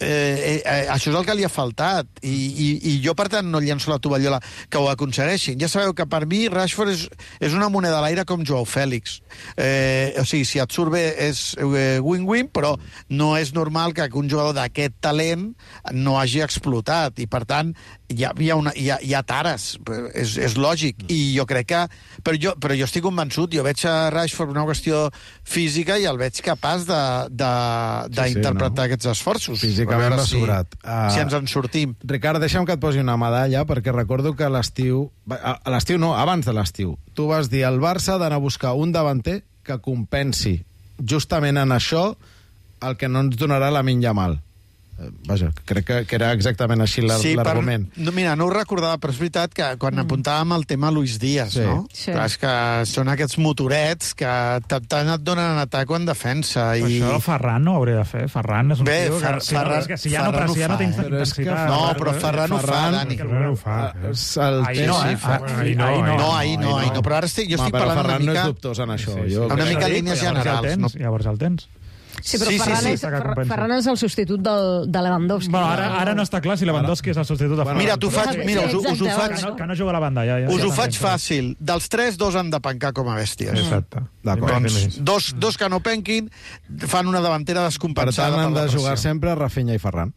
eh, eh, això és el que li ha faltat. I, i, i jo, per tant, no llenço la tovallola que ho aconsegueixin. Ja sabeu que per mi Rashford és, és una moneda a l'aire com Joao Fèlix. Eh, o sigui, si et surt bé és eh, win-win, però no és normal que un jugador d'aquest talent no hagi explotat, i per tant hi ha, hi ha, una, hi ha, hi ha tares, és, és lògic, i jo crec que... Però jo, però jo estic convençut, jo veig a Rashford una qüestió física i el veig capaç d'interpretar sí, sí, no? aquests esforços. Físicament si, assegurat. Uh, si ens en sortim. Ricard, deixa'm que et posi una medalla, perquè recordo que a l'estiu... A l'estiu no, abans de l'estiu. Tu vas dir al Barça d'anar a buscar un davanter que compensi justament en això el que no ens donarà Lamine Yamal. Vaja, crec que, que era exactament així l'argument. Sí, per, no, mira, no ho recordava, però és veritat que quan mm. apuntàvem el tema Luis Díaz, sí. no? Sí. Clar, és que són aquests motorets que tant et donen en atac o en defensa. I... Això Ferran no ho hauria de fer. Ferran és un Bé, tio Fer, que... Ferran, és que si ja Ferran no, ho ja fa, no té eh? intensitat... No, però Ferran ho fa, Dani. Ferran ho fa. El... Ahir no, eh? Ahir no, no, ahir no, ahir no. Però ara estic, jo estic parlant una mica... Ferran no és dubtós en això. Una mica en línies generals. Llavors el tens. Sí, però sí, Ferran, sí, és, sí. Fer, Ferran és el substitut del, de Lewandowski. Bueno, ara, ara no està clar si Lewandowski és el substitut de Ferran. Mira, tu faig, mira us, us ho faig... Que no, que no juga a la banda, ja. ja us ja ho faig fàcil. Dels tres, dos han de pencar com a bèsties. Exacte. Doncs dos, dos que no penquin fan una davantera descompensada. Per tant, han de jugar sempre Rafinha i Ferran.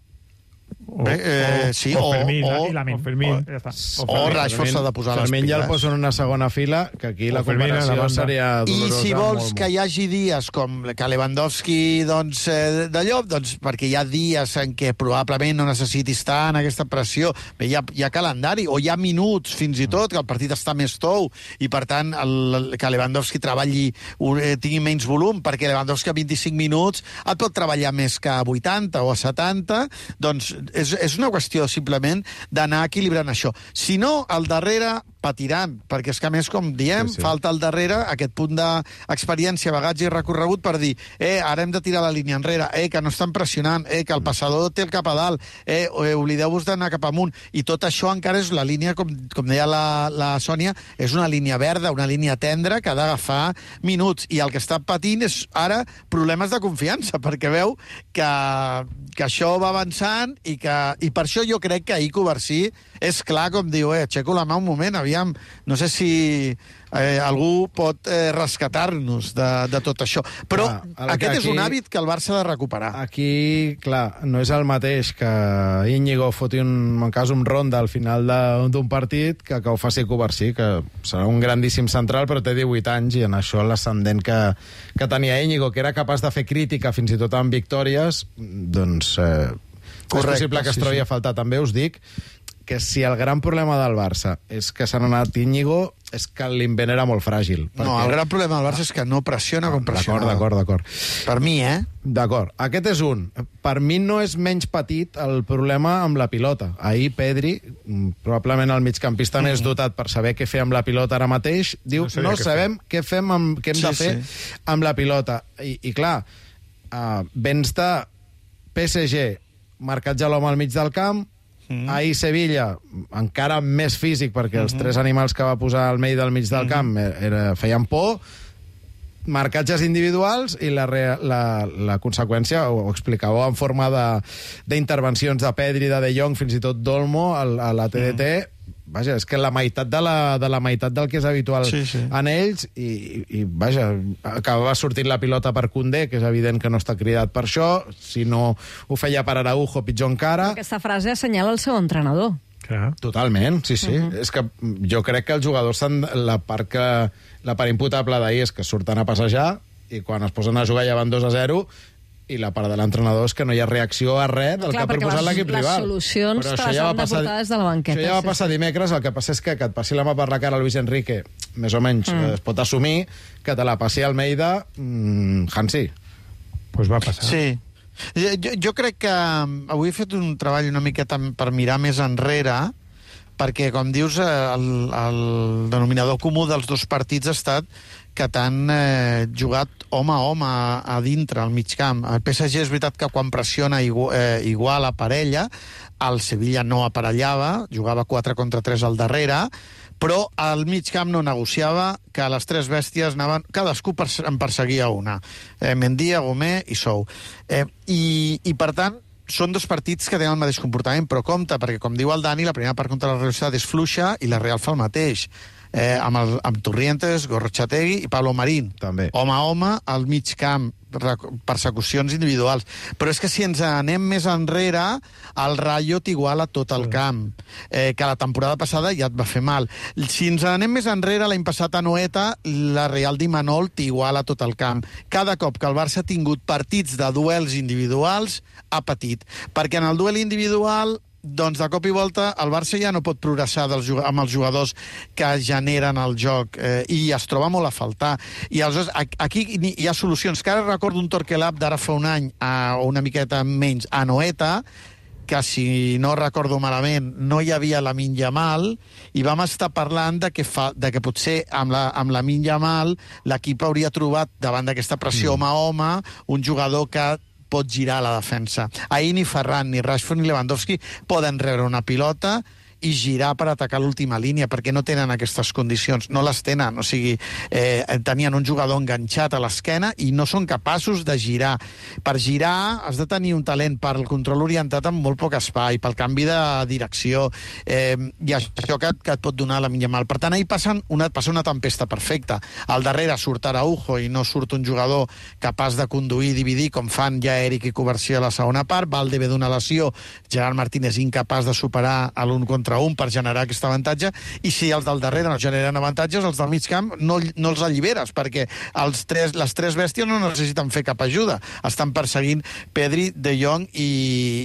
O, Bé, eh, sí, o, o Fermín, o, i Lamine. O Fermín. O, ja està. o, o Rashford s'ha de posar les Fermín piles. ja el posa en una segona fila, que aquí la comparació seria dolorosa. I si vols molt, que hi hagi dies com que Lewandowski doncs, eh, de llop, doncs perquè hi ha dies en què probablement no necessitis tant aquesta pressió. Bé, hi ha, hi ha calendari, o hi ha minuts fins i tot, que el partit està més tou, i per tant el, que Lewandowski treballi, eh, tingui menys volum, perquè Lewandowski a vint-i-cinc minuts et pot treballar més que a vuitanta o a setanta, doncs és, és una qüestió simplement d'anar equilibrant això. Si no, al darrere patiran, perquè és que a més, com diem, sí, sí. falta al darrere aquest punt d'experiència, bagatge i recorregut per dir, eh, ara hem de tirar la línia enrere, eh, que no estan pressionant, eh, que el passador té el cap a dalt, eh, eh oblideu-vos d'anar cap amunt, i tot això encara és la línia, com, com deia la, la Sònia, és una línia verda, una línia tendra que ha d'agafar minuts, i el que està patint és ara problemes de confiança, perquè veu que, que això va avançant, i, que, i per això jo crec que ahir Covarsí és clar, com diu, eh, aixeco la mà un moment, aviam, no sé si eh, algú pot eh, rescatar-nos de, de tot això. Però clar, aquest aquí, és un hàbit que el Barça ha de recuperar. Aquí, clar, no és el mateix que Íñigo foti un, en cas un ronda al final d'un partit que, que ho faci Covarsí, que serà un grandíssim central, però té divuit anys, i en això l'ascendent que, que tenia Íñigo, que era capaç de fer crítica fins i tot amb victòries, doncs eh, Correcte, és possible que es trobi sí, sí. a faltar. També us dic que si el gran problema del Barça és que s'ha anat Íñigo, és que l'invent era molt fràgil. Perquè... No, el gran problema del Barça és que no pressiona com pressiona. D'acord, d'acord, d'acord. Per mi, eh? D'acord. Aquest és un. Per mi no és menys petit el problema amb la pilota. Ahir Pedri, probablement el migcampista mm. més dotat per saber què fer amb la pilota ara mateix, diu, no, no sabem què fem amb, què hem sí, de fer sí. amb la pilota. I, i clar, uh, vens de P S G, marcatge l'home al mig del camp, Mm. ahir Sevilla, encara més físic, perquè els mm -hmm. tres animals que va posar al Almeida al mig del camp mm -hmm. era, feien por, marcatges individuals, i la, la, la conseqüència ho, ho explicàveu en forma d'intervencions de, de Pedri, de De Jong, fins i tot d'Olmo a, a la T D T. Mm. Vaja, és que la meitat de la, de la meitat del que és habitual sí, sí. en ells, i, i vaja, acabava sortint la pilota per Koundé, que és evident que no està cridat per això, si no ho feia per Araujo, pitjor encara. Aquesta frase assenyala el seu entrenador. Clar. Totalment, sí, sí. Uh -huh. És que jo crec que els jugadors s'han... La part, que, la part imputable d'ahir és que surten a passejar, i quan es posen a jugar ja van dos a zero, i la part de l'entrenador és que no hi ha reacció a res del Clar, que ha proposat l'equip rival. Les solucions te les han de portar des de la banqueta. Això ja va sí, passar sí. dimecres, el que passa és que que et passi la mà per la cara a Luis Enrique, més o menys mm. es pot assumir, que te la passi a Almeida, mmm, Hansi. Pues va passar. Sí. Jo, jo crec que avui he fet un treball una miqueta per mirar més enrere, perquè, com dius, el, el denominador comú dels dos partits ha estat que t'han eh, jugat home a home a, a dintre, al mig camp. El P S G és veritat que quan pressiona igual, eh, igual a parella, el Sevilla no aparellava, jugava quatre contra tres al darrere, però al mig camp no negociava, que les tres bèsties anaven... Cadascú en perseguia una. Eh, Mendy, Gomé i Sou. Eh, i, I, per tant, són dos partits que tenen el mateix comportament, però compte, perquè, com diu el Dani, la primera part contra la Real Sociedad és fluixa i la Real fa el mateix. eh, amb, el, amb Torrientes, Gorrochategui i Pablo Marín. També. Home a home, al mig camp, persecucions individuals. Però és que si ens anem més enrere, el Rayo t'iguala tot el camp, eh, que la temporada passada ja et va fer mal. Si ens anem més enrere, l'any passat a Noeta, la Real d'Imanol t'iguala tot el camp. Cada cop que el Barça ha tingut partits de duels individuals, ha patit. Perquè en el duel individual, doncs de cop i volta el Barça ja no pot progressar dels, amb els jugadors que generen el joc eh, i es troba molt a faltar. I aleshores aquí hi ha solucions. Que ara recordo un Torquelab d'ara fa un any, a, o una miqueta menys, a Noeta, que si no recordo malament no hi havia Lamine Yamal i vam estar parlant de que, fa, de que potser amb la, amb Lamine Yamal l'equip hauria trobat davant d'aquesta pressió home a home un jugador que pot girar la defensa. Ahir ni Ferran, ni Rashford, ni Lewandowski poden rebre una pilota i girar per atacar l'última línia, perquè no tenen aquestes condicions, no les tenen, o sigui, eh, tenien un jugador enganxat a l'esquena i no són capaços de girar. Per girar has de tenir un talent per al control orientat amb molt poc espai, pel canvi de direcció, eh, i això que, que et pot donar la Lamine Yamal. Per tant, ahir passen una, passa una tempesta perfecta. Al darrere surt Araujo i no surt un jugador capaç de conduir i dividir, com fan ja Eric i Covarsí a la segona part. Valde ve d'una lesió, Gerard Martínez incapaç de superar l'un contra un per generar aquest avantatge, i si els del darrere no generen avantatges, els del mig camp no, no els alliberes, perquè els tres, les tres bèsties no necessiten fer cap ajuda. Estan perseguint Pedri, De Jong i,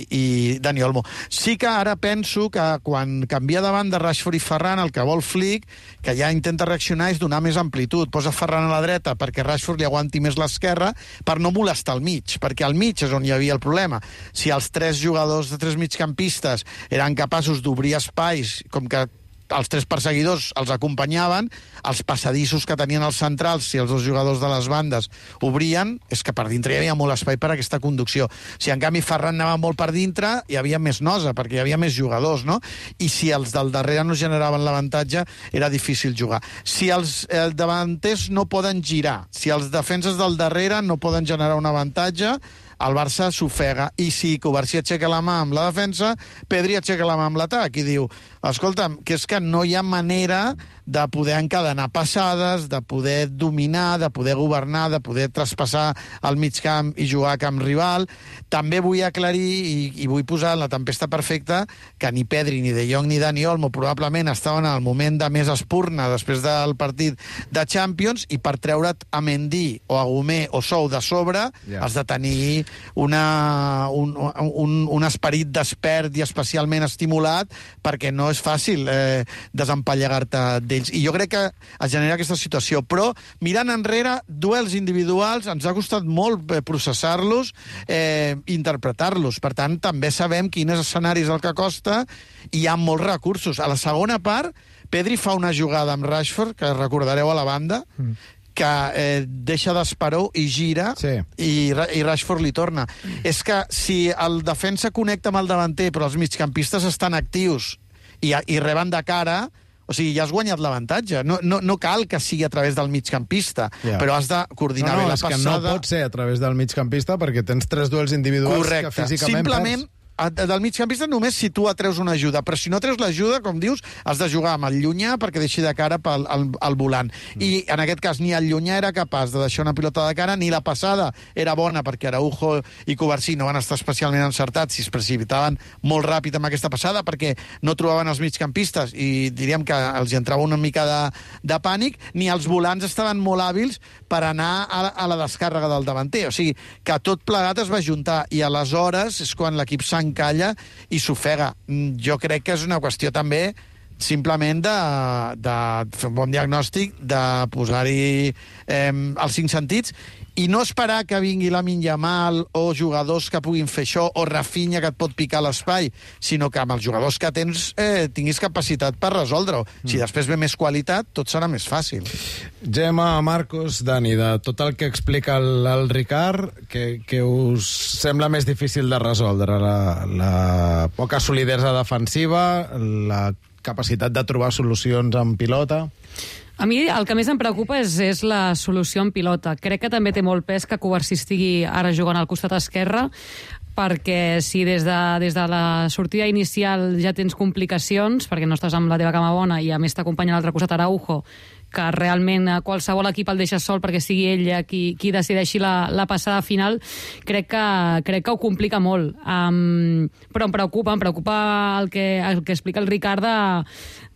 i Dani Olmo. Sí que ara penso que quan canvia davant de Rashford i Ferran, el que vol Flick, que ja intenta reaccionar, és donar més amplitud. Posa Ferran a la dreta perquè Rashford li aguanti més l'esquerra per no molestar al mig, perquè al mig és on hi havia el problema. Si els tres jugadors de tres migcampistes eren capaços d'obrir espais, com que els tres perseguidors els acompanyaven, els passadissos que tenien els centrals, si els dos jugadors de les bandes obrien, és que per dintre hi havia molt espai per a aquesta conducció. Si en canvi Ferran anava molt per dintre, hi havia més nosa, perquè hi havia més jugadors, no? I si els del darrere no generaven l'avantatge, era difícil jugar. Si els, els davanters no poden girar, si els defenses del darrere no poden generar un avantatge, el Barça s'ofega, i si Covarsí aixeca la mà amb la defensa, Pedri aixeca la mà amb l'atac i diu, escolta'm, que és que no hi ha manera de poder encadenar passades, de poder dominar, de poder governar, de poder traspassar al mig camp i jugar a camp rival. També vull aclarir i, i vull posar en la tempesta perfecta que ni Pedri, ni De Jong, ni Dani Olmo probablement estaven al moment de més espurna després del partit de Champions, i per treure't a Mendy o a Gomé o Sou de sobre yeah. has de tenir una, un, un, un esperit despert i especialment estimulat, perquè no és fàcil eh, desempallegar-te d'ells. I jo crec que es genera aquesta situació. Però, mirant enrere, duels individuals, ens ha costat molt processar-los, eh, interpretar-los. Per tant, també sabem quins escenaris el que costa, i hi ha molts recursos. A la segona part, Pedri fa una jugada amb Rashford, que recordareu a la banda, mm. que eh, deixa d'Esperó i gira, sí. i, i Rashford li torna. Mm. És que si el defensa connecta amb el davanter, però els migcampistes estan actius i, i reben de cara, o sigui, ja has guanyat l'avantatge. No, no, no cal que sigui a través del migcampista, yeah. però has de coordinar no, no, bé la passada. No, és que no pot ser a través del migcampista perquè tens tres duels individuals Correcte. Que físicament Simplement, perds. Del migcampista només si tu atreus una ajuda, però si no treus l'ajuda, com dius, has de jugar amb el llunyà perquè deixi de cara pel al, al volant. Mm. I en aquest cas ni el llunyà era capaç de deixar una pilota de cara, ni la passada era bona perquè Araujo i Covarsí no van estar especialment encertats i es precipitaven molt ràpid amb aquesta passada perquè no trobaven els migcampistes i diríem que els entrava una mica de, de pànic, ni els volants estaven molt hàbils per anar a, a la descàrrega del davanter. O sigui, que tot plegat es va juntar i aleshores és quan l'equip s'ha encalla i s'ofega. Jo crec que és una qüestió també simplement de, de fer un bon diagnòstic, de posar-hi eh, els cinc sentits i no esperar que vingui Lamine Yamal o jugadors que puguin fer això o Rafinha que et pot picar l'espai, sinó que amb els jugadors que tens eh, tinguis capacitat per resoldre-ho. Mm. Si després ve més qualitat, tot serà més fàcil. Gemma, Marcos, Dani, de tot el que explica el, el Ricard, que, que us sembla més difícil de resoldre? La, la poca solidesa defensiva, la capacitat de trobar solucions en pilota? A mi el que més em preocupa és, és la solució en pilota. Crec que també té molt pes que Covarsí estigui ara jugant al costat esquerre, perquè si des de, des de la sortida inicial ja tens complicacions, perquè no estàs amb la teva cama bona i a més t'acompanya a l'altre costat Araujo, que realment a qualsevol equip el deixa sol perquè sigui ell qui, qui decideixi la, la passada final, crec que, crec que ho complica molt. Um, però em preocupa, em preocupa el que, el que explica el Ricard de,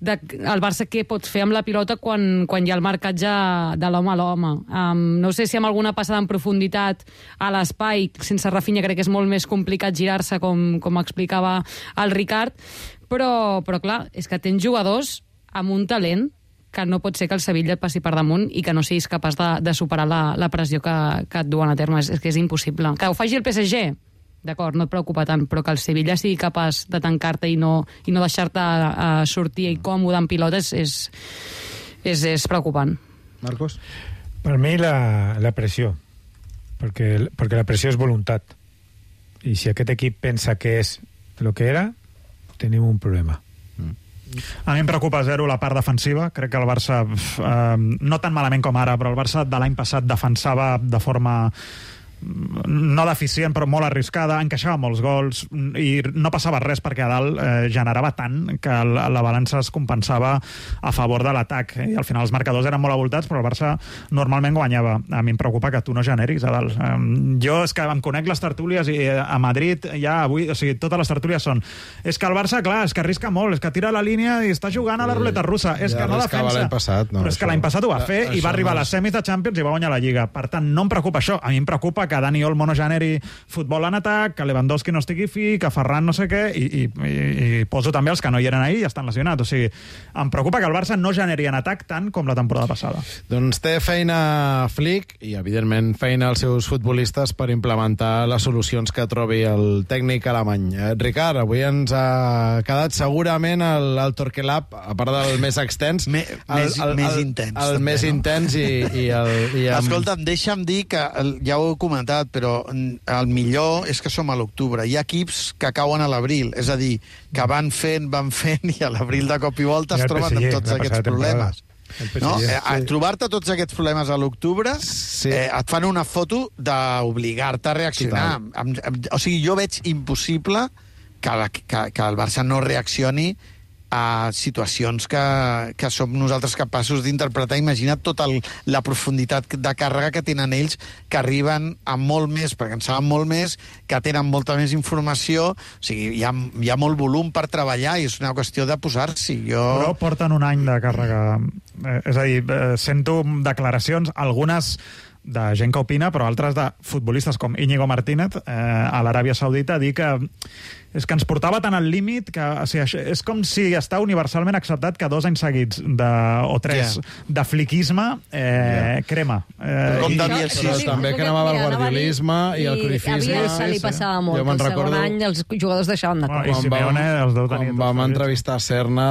de el Barça què pot fer amb la pilota quan, quan hi ha el marcatge de l'home a l'home. Um, no sé si amb alguna passada en profunditat a l'espai, sense Rafinha crec que és molt més complicat girar-se, com, com explicava el Ricard, però, però clar, és que tens jugadors amb un talent que no pot ser que el Sevilla et passi per damunt i que no siguis capaç de, de superar la, la pressió que, que et duen a terme. És, és que és impossible. Que ho faci el P S G, d'acord, no et preocupa tant, però que el Sevilla sigui capaç de tancar-te i no, i no deixar-te uh, sortir còmode en pilotes és, és, és preocupant. Marcos? Per mi la, la pressió, perquè, perquè la pressió és voluntat. I si aquest equip pensa que és el que era, tenim un problema. A mi em preocupa zero la part defensiva. Crec que el Barça, eh, no tan malament com ara, però el Barça de l'any passat defensava de forma no deficient, però molt arriscada, encaixava molts gols i no passava res perquè a dalt eh, generava tant que la, la balança es compensava a favor de l'atac i al final els marcadors eren molt avoltats, però el Barça normalment guanyava. A mi em preocupa que tu no generis a dalt. Eh, jo és que em conec les tertúlies i a Madrid ja avui, o sigui, totes les tertúlies són és que el Barça, clar, és que arrisca molt, és que tira la línia i està jugant a la ruleta russa, és ja que no defensa. L'any passat, no, però és que l'any passat ho va fer i va arribar a les semis de Champions i va guanyar la Lliga. Per tant, no em preocupa això. A mi em preocupa que Dani Olmo no generi futbol en atac, que Lewandowski no estigui fi, que Ferran no sé què, i, i, i, i poso també els que no hi eren ahir i estan lesionats. O sigui, em preocupa que el Barça no generi en atac tant com la temporada passada. Doncs té feina Flick i, evidentment, feina als seus futbolistes per implementar les solucions que trobi el tècnic alemany. Eh, Ricard, avui ens ha quedat segurament el, el Torquelab, a part del més extens, Me, el, més, el, el, més intens. El, el també, més no? intens i, i el... I amb... Escolta'm, deixa'm dir que, ja ho he comentat, però el millor és que som a l'octubre. Hi ha equips que cauen a l'abril, és a dir, que van fent, van fent, i a l'abril de cop i volta es troben amb tots aquests problemes. No? Eh, a trobar-te tots aquests problemes a l'octubre, sí. eh, et fan una foto d'obligar-te a reaccionar. Am, am, o sigui, jo veig impossible que, la, que, que el Barça no reaccioni a situacions que, que som nosaltres capaços d'interpretar. Imagina't tota el, la profunditat de càrrega que tenen ells, que arriben a molt més, perquè en saben molt més, que tenen molta més informació. O sigui, hi ha, hi ha molt volum per treballar i és una qüestió de posar-s'hi. Jo... Però porten un any de càrrega. Eh, és a dir, eh, sento declaracions, algunes de gent que opina, però altres de futbolistes com Íñigo Martínez eh, a l'Aràbia Saudita, dir que és que ens portava tant al límit que o sigui, és com si està universalment acceptat que dos anys seguits de, o tres yeah. de fliquisme eh, yeah. crema. Eh, com de Bielsa. També cremava el guardiolisme i, i el cruyffisme. A Bielsa li passava molt. El segon recordo... any els jugadors deixaven de córrer. I Simeone els deu tenir. Quan vam entrevistar Serna,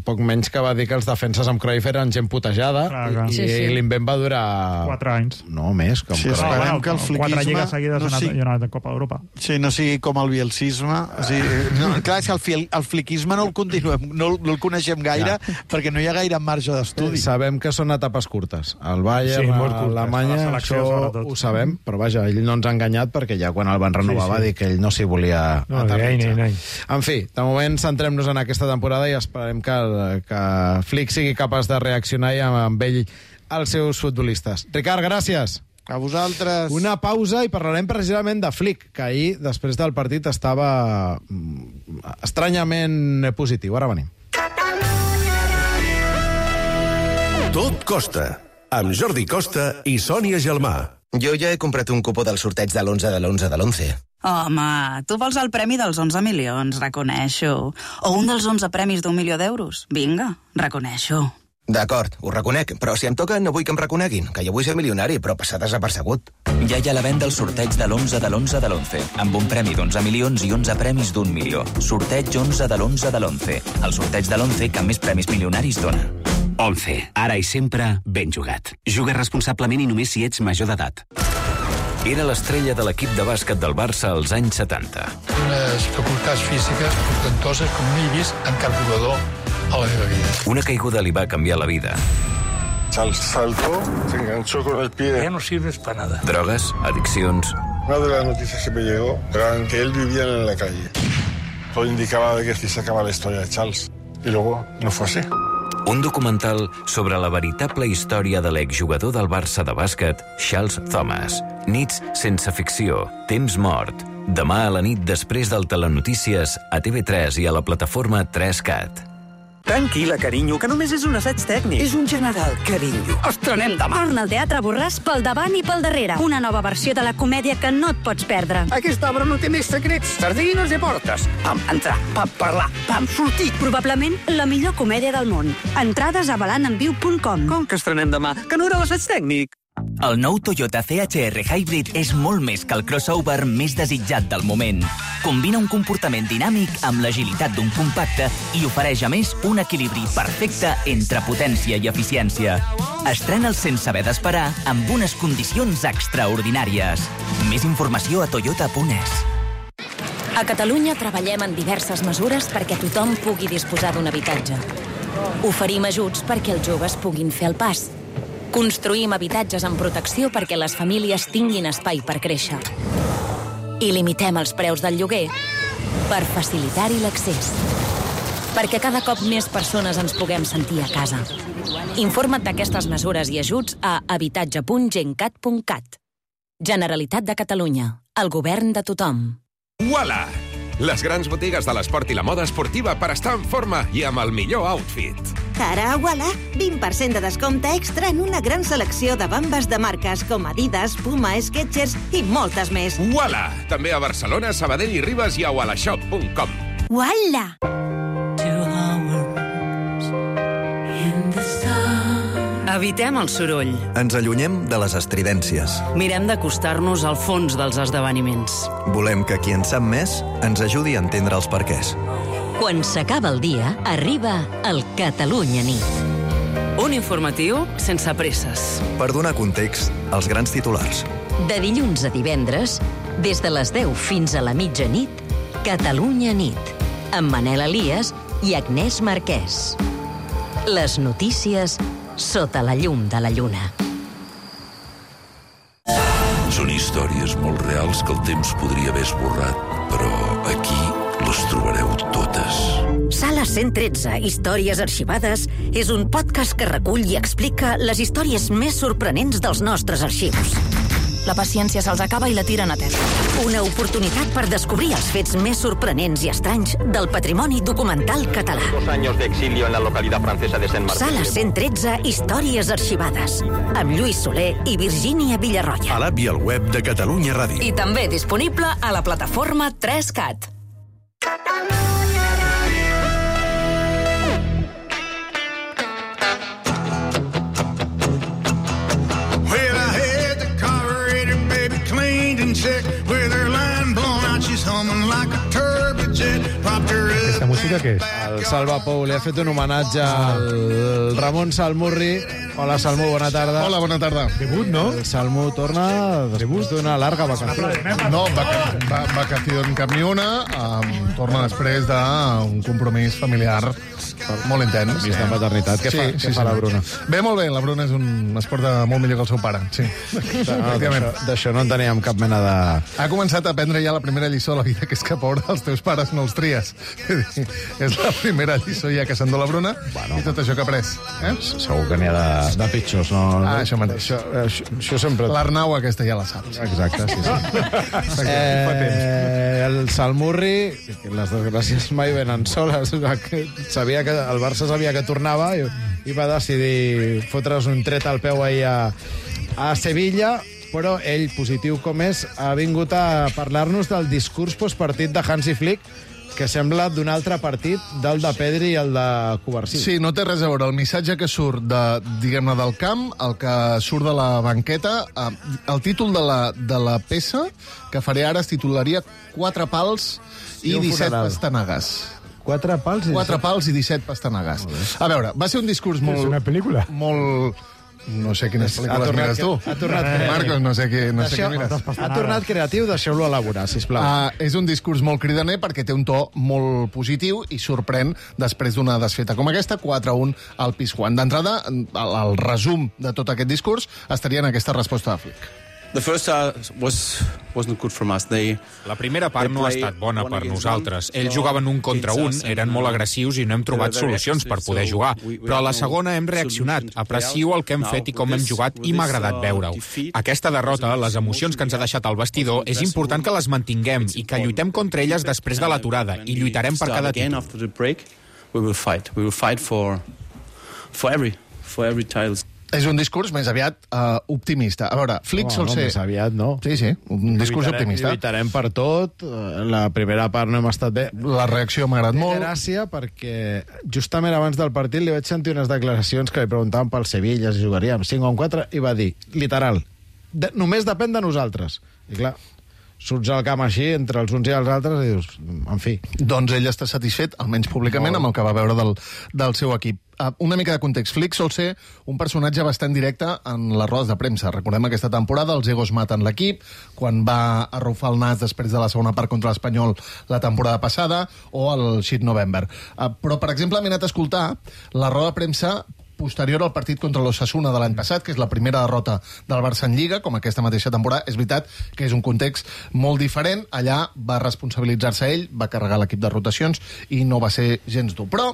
poc menys que va dir que els defenses amb Cruyff eren gent putejada clar, clar. i, sí, sí. i l'invent va durar... Quatre anys. No, més. Com sí, esperem no, que el fliquisme... Quatre lligues seguides no sigui... i una Copa d'Europa. Sí, no sigui com el bielsisme. O sigui, no, clar, és que el, fil, el fliquisme no el continuem, no, no el coneixem gaire ja. perquè no hi ha gaire marge d'estudi. Sabem que són etapes curtes. El Bayern, sí, a Alemanya, això ho sabem, però vaja, ell no ens ha enganyat perquè ja quan el van renovar sí, sí. va dir que ell no s'hi volia no, aterritzar. Ai, ai, ai. En fi, de moment centrem-nos en aquesta temporada i esperem que, que Flick sigui capaç de reaccionar i amb ell els seus futbolistes. Ricard, gràcies. A vosaltres. Una pausa i parlarem precisament de Flick, que ahir, després del partit, estava estranyament positiu. Ara venim. Tot costa, amb Jordi Costa i Sònia Gelmà. Jo ja he comprat un cupó del sorteig de l'onze de l'onze de l'onze. Home, tu vols el premi dels onze milions, reconeixo. O un dels onze premis d'un milió d'euros. Vinga, reconeixo. D'acord, ho reconec, però si em toca no vull que em reconeguin, que jo vull ser milionari, però passar desapercebut. Ja hi ha la venda el sorteig de l'onze de l'onze de l'onze, amb un premi d'onze milions i onze premis d'un milió. Sorteig onze de l'onze de l'onze, el sorteig de l'onze que més premis milionaris dona. onze. Ara i sempre, ben jugat. Juga responsablement i només si ets major d'edat. Era l'estrella de l'equip de bàsquet del Barça als anys setanta. Unes facultats físiques portantoses com no he vist en cap jugador Una caiguda li va canviar la vida. Charles saltó, se enganchó con el pie. Ya no sirves para nada. Drogues, adiccions... Una de las noticias que me llegó era que él vivía en la calle. Todo indicaba de que aquí se acaba la historia de Charles. Y luego no fue así. Un documental sobre la veritable història de l'exjugador del Barça de bàsquet, Charles Thomas. Nits sense ficció, temps mort. Demà a la nit després del Telenotícies a T V tres i a la plataforma tres cat. Tranquil·la, carinyo, que només és un assaig tècnic. És un general, carinyo. Estrenem demà. Torna al Teatre Borràs pel davant i pel darrere. Una nova versió de la comèdia que no et pots perdre. Aquesta obra no té més secrets. Sardines i portes. Vam entrar, vam parlar, vam sortir. Probablement la millor comèdia del món. Entrades a balan en viu punt com. Com que estrenem demà? Que no era l'assaig tècnic? El nou Toyota C H R Hybrid és molt més que el crossover més desitjat del moment. Combina un comportament dinàmic amb l'agilitat d'un compacte i ofereix, a més, un equilibri perfecte entre potència i eficiència. Estrena'l sense haver d'esperar amb unes condicions extraordinàries. Més informació a toyota punt es. A Catalunya treballem en diverses mesures perquè tothom pugui disposar d'un habitatge. Oferim ajuts perquè els joves puguin fer el pas. Construïm habitatges amb protecció perquè les famílies tinguin espai per créixer. I limitem els preus del lloguer per facilitar-hi l'accés. Perquè cada cop més persones ens puguem sentir a casa. Informa't d'aquestes mesures i ajuts a habitatge punt gencat punt cat. Generalitat de Catalunya. El govern de tothom. Uala! Les grans botigues de l'esport i la moda esportiva per estar en forma i amb el millor outfit. Ara a Uala, vint per cent de descompte extra en una gran selecció de bambes de marques com Adidas, Puma, Skechers i moltes més. Uala! També a Barcelona, Sabadell i Ribes i a uala shop punt com. Uala! Evitem el soroll. Ens allunyem de les estridències. Mirem d'acostar-nos al fons dels esdeveniments. Volem que qui en sap més ens ajudi a entendre els perquès. Quan s'acaba el dia, arriba el Catalunya Nit. Un informatiu sense presses. Per donar context als grans titulars. De dilluns a divendres, des de les deu fins a la mitjanit, Catalunya Nit, amb Manel Elias i Agnès Marquès. Les notícies sota la llum de la lluna. Són històries molt reals que el temps podria haver esborrat, però aquí les trobareu totes. Sala cent tretze, Històries arxivades, és un podcast que recull i explica les històries més sorprenents dels nostres arxius. La paciència se'ls acaba i la tiren a terra. Una oportunitat per descobrir els fets més sorprenents i estranys del patrimoni documental català. Dos años de exilio en la localidad francesa de Saint Martin. Sala cent tretze, Històries arxivades, amb Lluís Soler i Virgínia Villarroya. A l'app i al web de Catalunya Ràdio. I també disponible a la plataforma tres cat. Aquesta música què és? El Salva Pou li ha fet un homenatge al Ramon Salmurri. Hola, Salmú, bona tarda. Hola, bona tarda. Debut, no? El Salmú torna després d'una larga vacació. No, vaca va vacació en cap ni una. Um, torna després d'un compromís familiar molt intens. Vist de maternitat. Què sí, fa, sí, què sí, fa la sí. Bruna? Bé, molt bé. La Bruna és un esport de molt millor que el seu pare. Sí. No, d'això no en teníem cap mena de... Ha començat a aprendre ja la primera lliçó de la vida, que és que, pobre, els teus pares no els tries. És la primera lliçó ja que s'endú la Bruna, bueno, i tot això que ha après. Eh? Segur que n'hi ha de, de pitjors, no? Ah, això mateix. Això, això, això sempre... L'Arnau aquesta ja la saps. Exacte, sí, sí. eh, el Salmurri, les desgràcies mai venen soles. Sabia que el Barça sabia que tornava i, i va decidir fotre's un tret al peu ahir a, a Sevilla, però ell, positiu com és, ha vingut a parlar-nos del discurs postpartit de Hansi Flick, que sembla d'un altre partit, del de Pedri i el de Covarsí. Sí, no té res a veure. El missatge que surt de, diguem-ne, del camp, el que surt de la banqueta, eh, el títol de la, de la peça que faré ara es titularia Quatre pals i, i disset pastanagues. Quatre pals i Quatre pals i disset pastanagues. A veure, va ser un discurs molt... És una pel·lícula. Molt... No sé quines pel·lícules mires tu. Ha tornat creatiu. Marcos, no sé què, no sé què mires. Ha tornat creatiu, deixeu-lo elaborar, sisplau. Uh, és un discurs molt cridaner perquè té un to molt positiu i sorprèn després d'una desfeta com aquesta, quatre a un al Pizjuán. D'entrada, el, el resum de tot aquest discurs estaria en aquesta resposta de Flick. The first uh, was wasn't good from us. They, la primera part no ha estat bona per nosaltres. Ells jugaven un contra un, eren molt agressius i no hem trobat solucions per poder jugar. Però a la segona hem reaccionat. Aprecio el que hem fet i com hem jugat i m'ha agradat veure-ho. Aquesta derrota, les emocions que ens ha deixat al vestidor, és important que les mantinguem i que lluitem contra elles després de l'aturada i lluitarem per cada títol. We will fight. We will fight for for every for every title. És un discurs més aviat uh, optimista. A veure, Flick oh, sol no, ser... Més aviat, no. Sí, sí, un discurs lluitarem, optimista. Lluitarem per tot. La primera part no hem estat bé. La reacció m'ha agradat molt. Gràcia, perquè justament abans del partit li vaig sentir unes declaracions que li preguntaven pel Sevilla si jugaríem cinc o quatre, i va dir, literal, de, només depèn de nosaltres. I clar, surts al camp així, entre els uns i els altres, i dius, en fi. Doncs ell està satisfet, almenys públicament, amb el que va veure del, del seu equip. Uh, una mica de context. Flick sol ser un personatge bastant directe en les rodes de premsa. Recordem aquesta temporada, els egos maten l'equip, quan va arrufar el nas després de la segona part contra l'Espanyol la temporada passada, o el Shit November. Uh, però, per exemple, m'he anat a escoltar la roda de premsa posterior al partit contra l'Osasuna de l'any passat, que és la primera derrota del Barça en Lliga, com aquesta mateixa temporada. És veritat que és un context molt diferent. Allà va responsabilitzar-se ell, va carregar l'equip de rotacions i no va ser gens dur. Però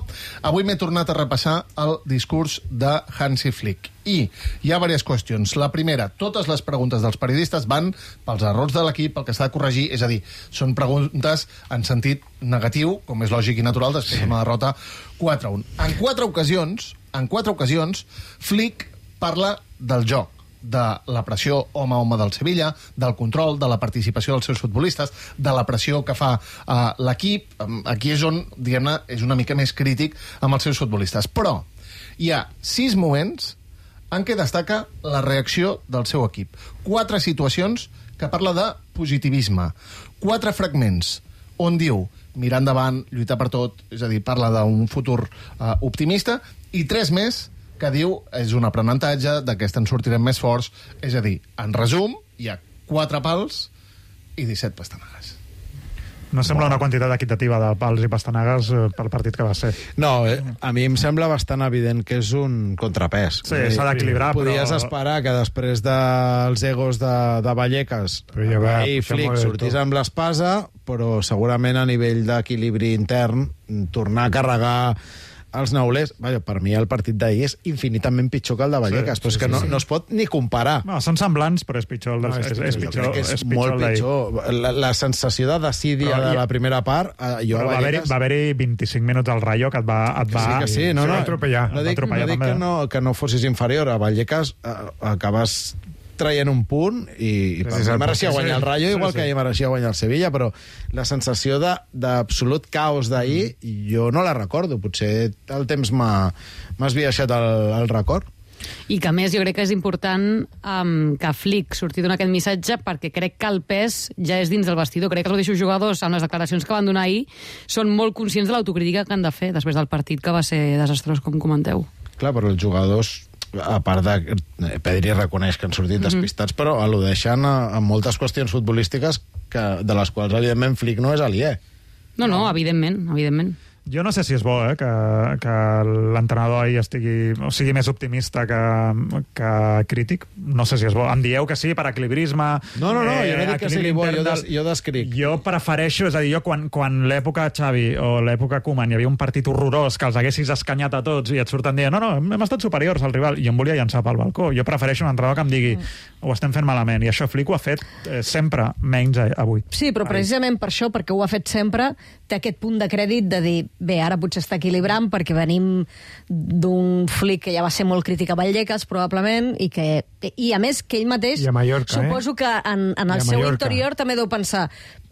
avui m'he tornat a repassar el discurs de Hansi Flick. I hi ha diverses qüestions. La primera, totes les preguntes dels periodistes van pels errors de l'equip, pel que s'ha de corregir, és a dir, són preguntes en sentit negatiu, com és lògic i natural, després d'una derrota quatre a un. En quatre ocasions, en quatre ocasions, Flick parla del joc, de la pressió home a home del Sevilla, del control, de la participació dels seus futbolistes, de la pressió que fa uh, l'equip. Aquí és on, diguem-ne, és una mica més crític amb els seus futbolistes. Però hi ha sis moments en què destaca la reacció del seu equip. Quatre situacions que parla de positivisme. Quatre fragments on diu mirar endavant, lluitar per tot, és a dir, parla d'un futur uh, optimista, i tres més que diu és un aprenentatge, d'aquest en sortirem més forts, és a dir, en resum, hi ha quatre pals i disset pastanagues. No sembla una quantitat equitativa de pals i pastanagues pel partit que va ser. No, eh, a mi em sembla bastant evident que és un contrapès. Sí, s'ha d'equilibrar, però... Podies esperar que després dels egos de, de Vallecas i Flick sortís amb l'espasa, però segurament a nivell d'equilibri intern tornar a carregar els neulers. Vaja, per mi el partit d'ahir és infinitament pitjor que el de Vallecas, sí, però és que sí, no, sí. no es pot ni comparar. No, són semblants, però és pitjor el del... No, és, és, és, pitjor, és, és molt pitjor. La, la sensació de desídia de la primera part... Eh, jo però va haver-hi haver vint-i-cinc minuts al Rayo que et va... Et que va sí, que sí. No, no, atropellar. No dic, no dic que, no, que no fossis inferior. A Vallecas eh, acabes traient un punt i, i per mi mereixia guanyar el Rayo, igual sí, sí. que ell mereixia guanyar el Sevilla, però la sensació d'absolut caos d'ahir mm. jo no la recordo. Potser el temps m'ha esbiaixat el, el record. I que, a més, jo crec que és important um, que Flick surti donant aquest missatge, perquè crec que el pes ja és dins del vestidor. Crec que els mateixos jugadors, amb les declaracions que van donar ahir, són molt conscients de l'autocrítica que han de fer després del partit, que va ser desastrós, com comenteu. Clar, però els jugadors, a part de... Pedri reconeix que han sortit despistats, mm-hmm. però al·ludeixen a, a moltes qüestions futbolístiques que, de les quals, evidentment, Flick no és aliè. No, no, evidentment, evidentment. Jo no sé si és bo, eh, que, que l'entrenador ahir estigui, o sigui més optimista que, que crític. No sé si és bo. Em dieu que sí, per equilibrisme... No, no, no, eh, jo no dic que sigui bo, jo, des, jo descric. Jo prefereixo, és a dir, jo quan, quan l'època Xavi o l'època Koeman hi havia un partit horrorós que els haguessis escanyat a tots i et surten dient no, no, hem estat superiors al rival, i em volia llançar pel balcó. Jo prefereixo un entrenador que em digui ho estem fent malament, i això Flick ho ha fet eh, sempre, menys avui. Sí, però precisament per això, perquè ho ha fet sempre, té aquest punt de crèdit de dir bé, ara potser està equilibrant perquè venim d'un Flick que ja va ser molt crític a Vallecas, probablement, i que i a més que ell mateix, Mallorca, suposo eh? que en, en el seu interior també deu pensar,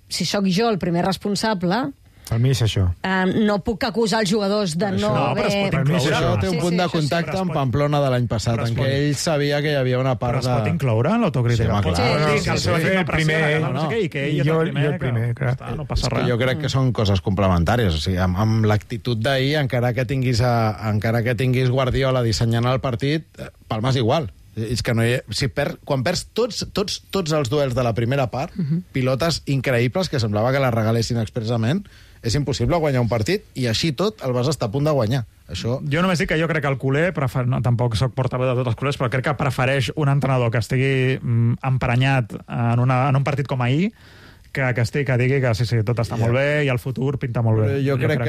si sóc jo el primer responsable, Per mi és això. Uh, no puc acusar els jugadors de no, no haver... però per mi això té un Sí, punt sí, de això sí. contacte amb Pamplona de l'any passat, en què ell sabia que hi havia una part Però de... es pot incloure en l'autocrítica. Sí, home, Pot clar. dir Sí, que el sí, seu sí. equip no El primer, pressiona, no sé què, i que ell i és jo- el primer, jo el primer, que, clar. està, no passa És que res. jo crec que són coses complementàries. O sigui, amb, amb l'actitud d'ahir, encara que tinguis a, encara que tinguis Guardiola dissenyant el partit, eh, palmes igual. És que no hi ha, si per, quan perds tots, tots, tots els duels de la primera part, uh -huh. pilotes increïbles que semblava que les regalessin expressament, és impossible guanyar un partit i així tot el vas estar a punt de guanyar. Això... Jo només dic que jo crec que el culer, prefer... no, tampoc soc portaveu de tots els culers, però crec que prefereix un entrenador que estigui mm, emprenyat en, una, en un partit com ahir que, que estigui, que digui que sí, sí, tot està yeah. molt bé i el futur pinta molt bé. Però jo, jo crec, crec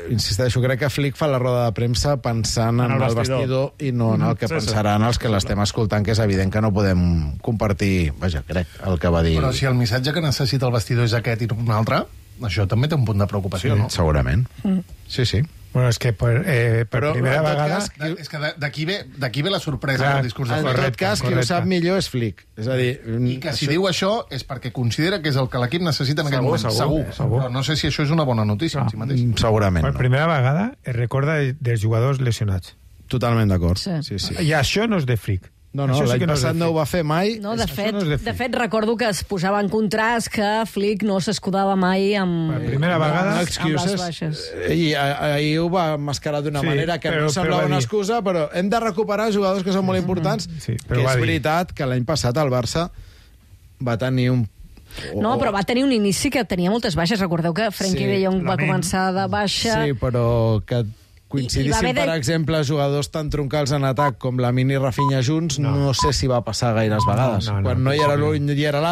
que, insisteixo, crec que Flick fa la roda de premsa pensant en, en el, el vestidor. vestidor i no en el que sí, pensaran sí. els que l'estem escoltant, que és evident que no podem compartir, vaja, crec, el que va dir. Però si el missatge que necessita el vestidor és aquest i no un altre, això també té un punt de preocupació, sí, no? Segurament. Mm. Sí, sí. Bueno, és que per, eh, per Però, primera en tot vegada... cas, de, és que d'aquí ve, d'aquí ve la sorpresa Clar, del discurs de En Flick. tot cas, qui ho sap millor és Flick. És a dir... I que si això... diu això és perquè considera que és el que l'equip necessita en Segur, aquest moment. segur, Segur. segur. Però no sé si això és una bona notícia en si mateix. Segurament Per no. primera vegada es recorda de- dels jugadors lesionats. Totalment d'acord. Sí. Sí, sí. I això no és de Flick. No, no, Això sí l'any que no és de passat no ho Flick. va fer mai. No, de Això fet, no és de de Flick. fet, recordo que es posava en contrast que Flick no s'escudava mai amb, Per primera vegada- No amb les excuses. baixes. I a- ahir ho va mascarar d'una Sí, manera que però- no però semblava va una dir- excusa, però hem de recuperar jugadors que són molt importants, Sí, que però va és dir- veritat que l'any passat el Barça va tenir un... No, però va tenir un inici que tenia moltes baixes. Recordeu que Frenkie Sí, de Jong va Lamine. començar de baixa. Sí, però que coincidissin, I- i va haver de- per exemple, jugadors tan troncals en atac com la Mini i Rafinha junts, no, no sé si va passar gaires vegades. no, no, Quan no hi era l'un i hi era l'altre,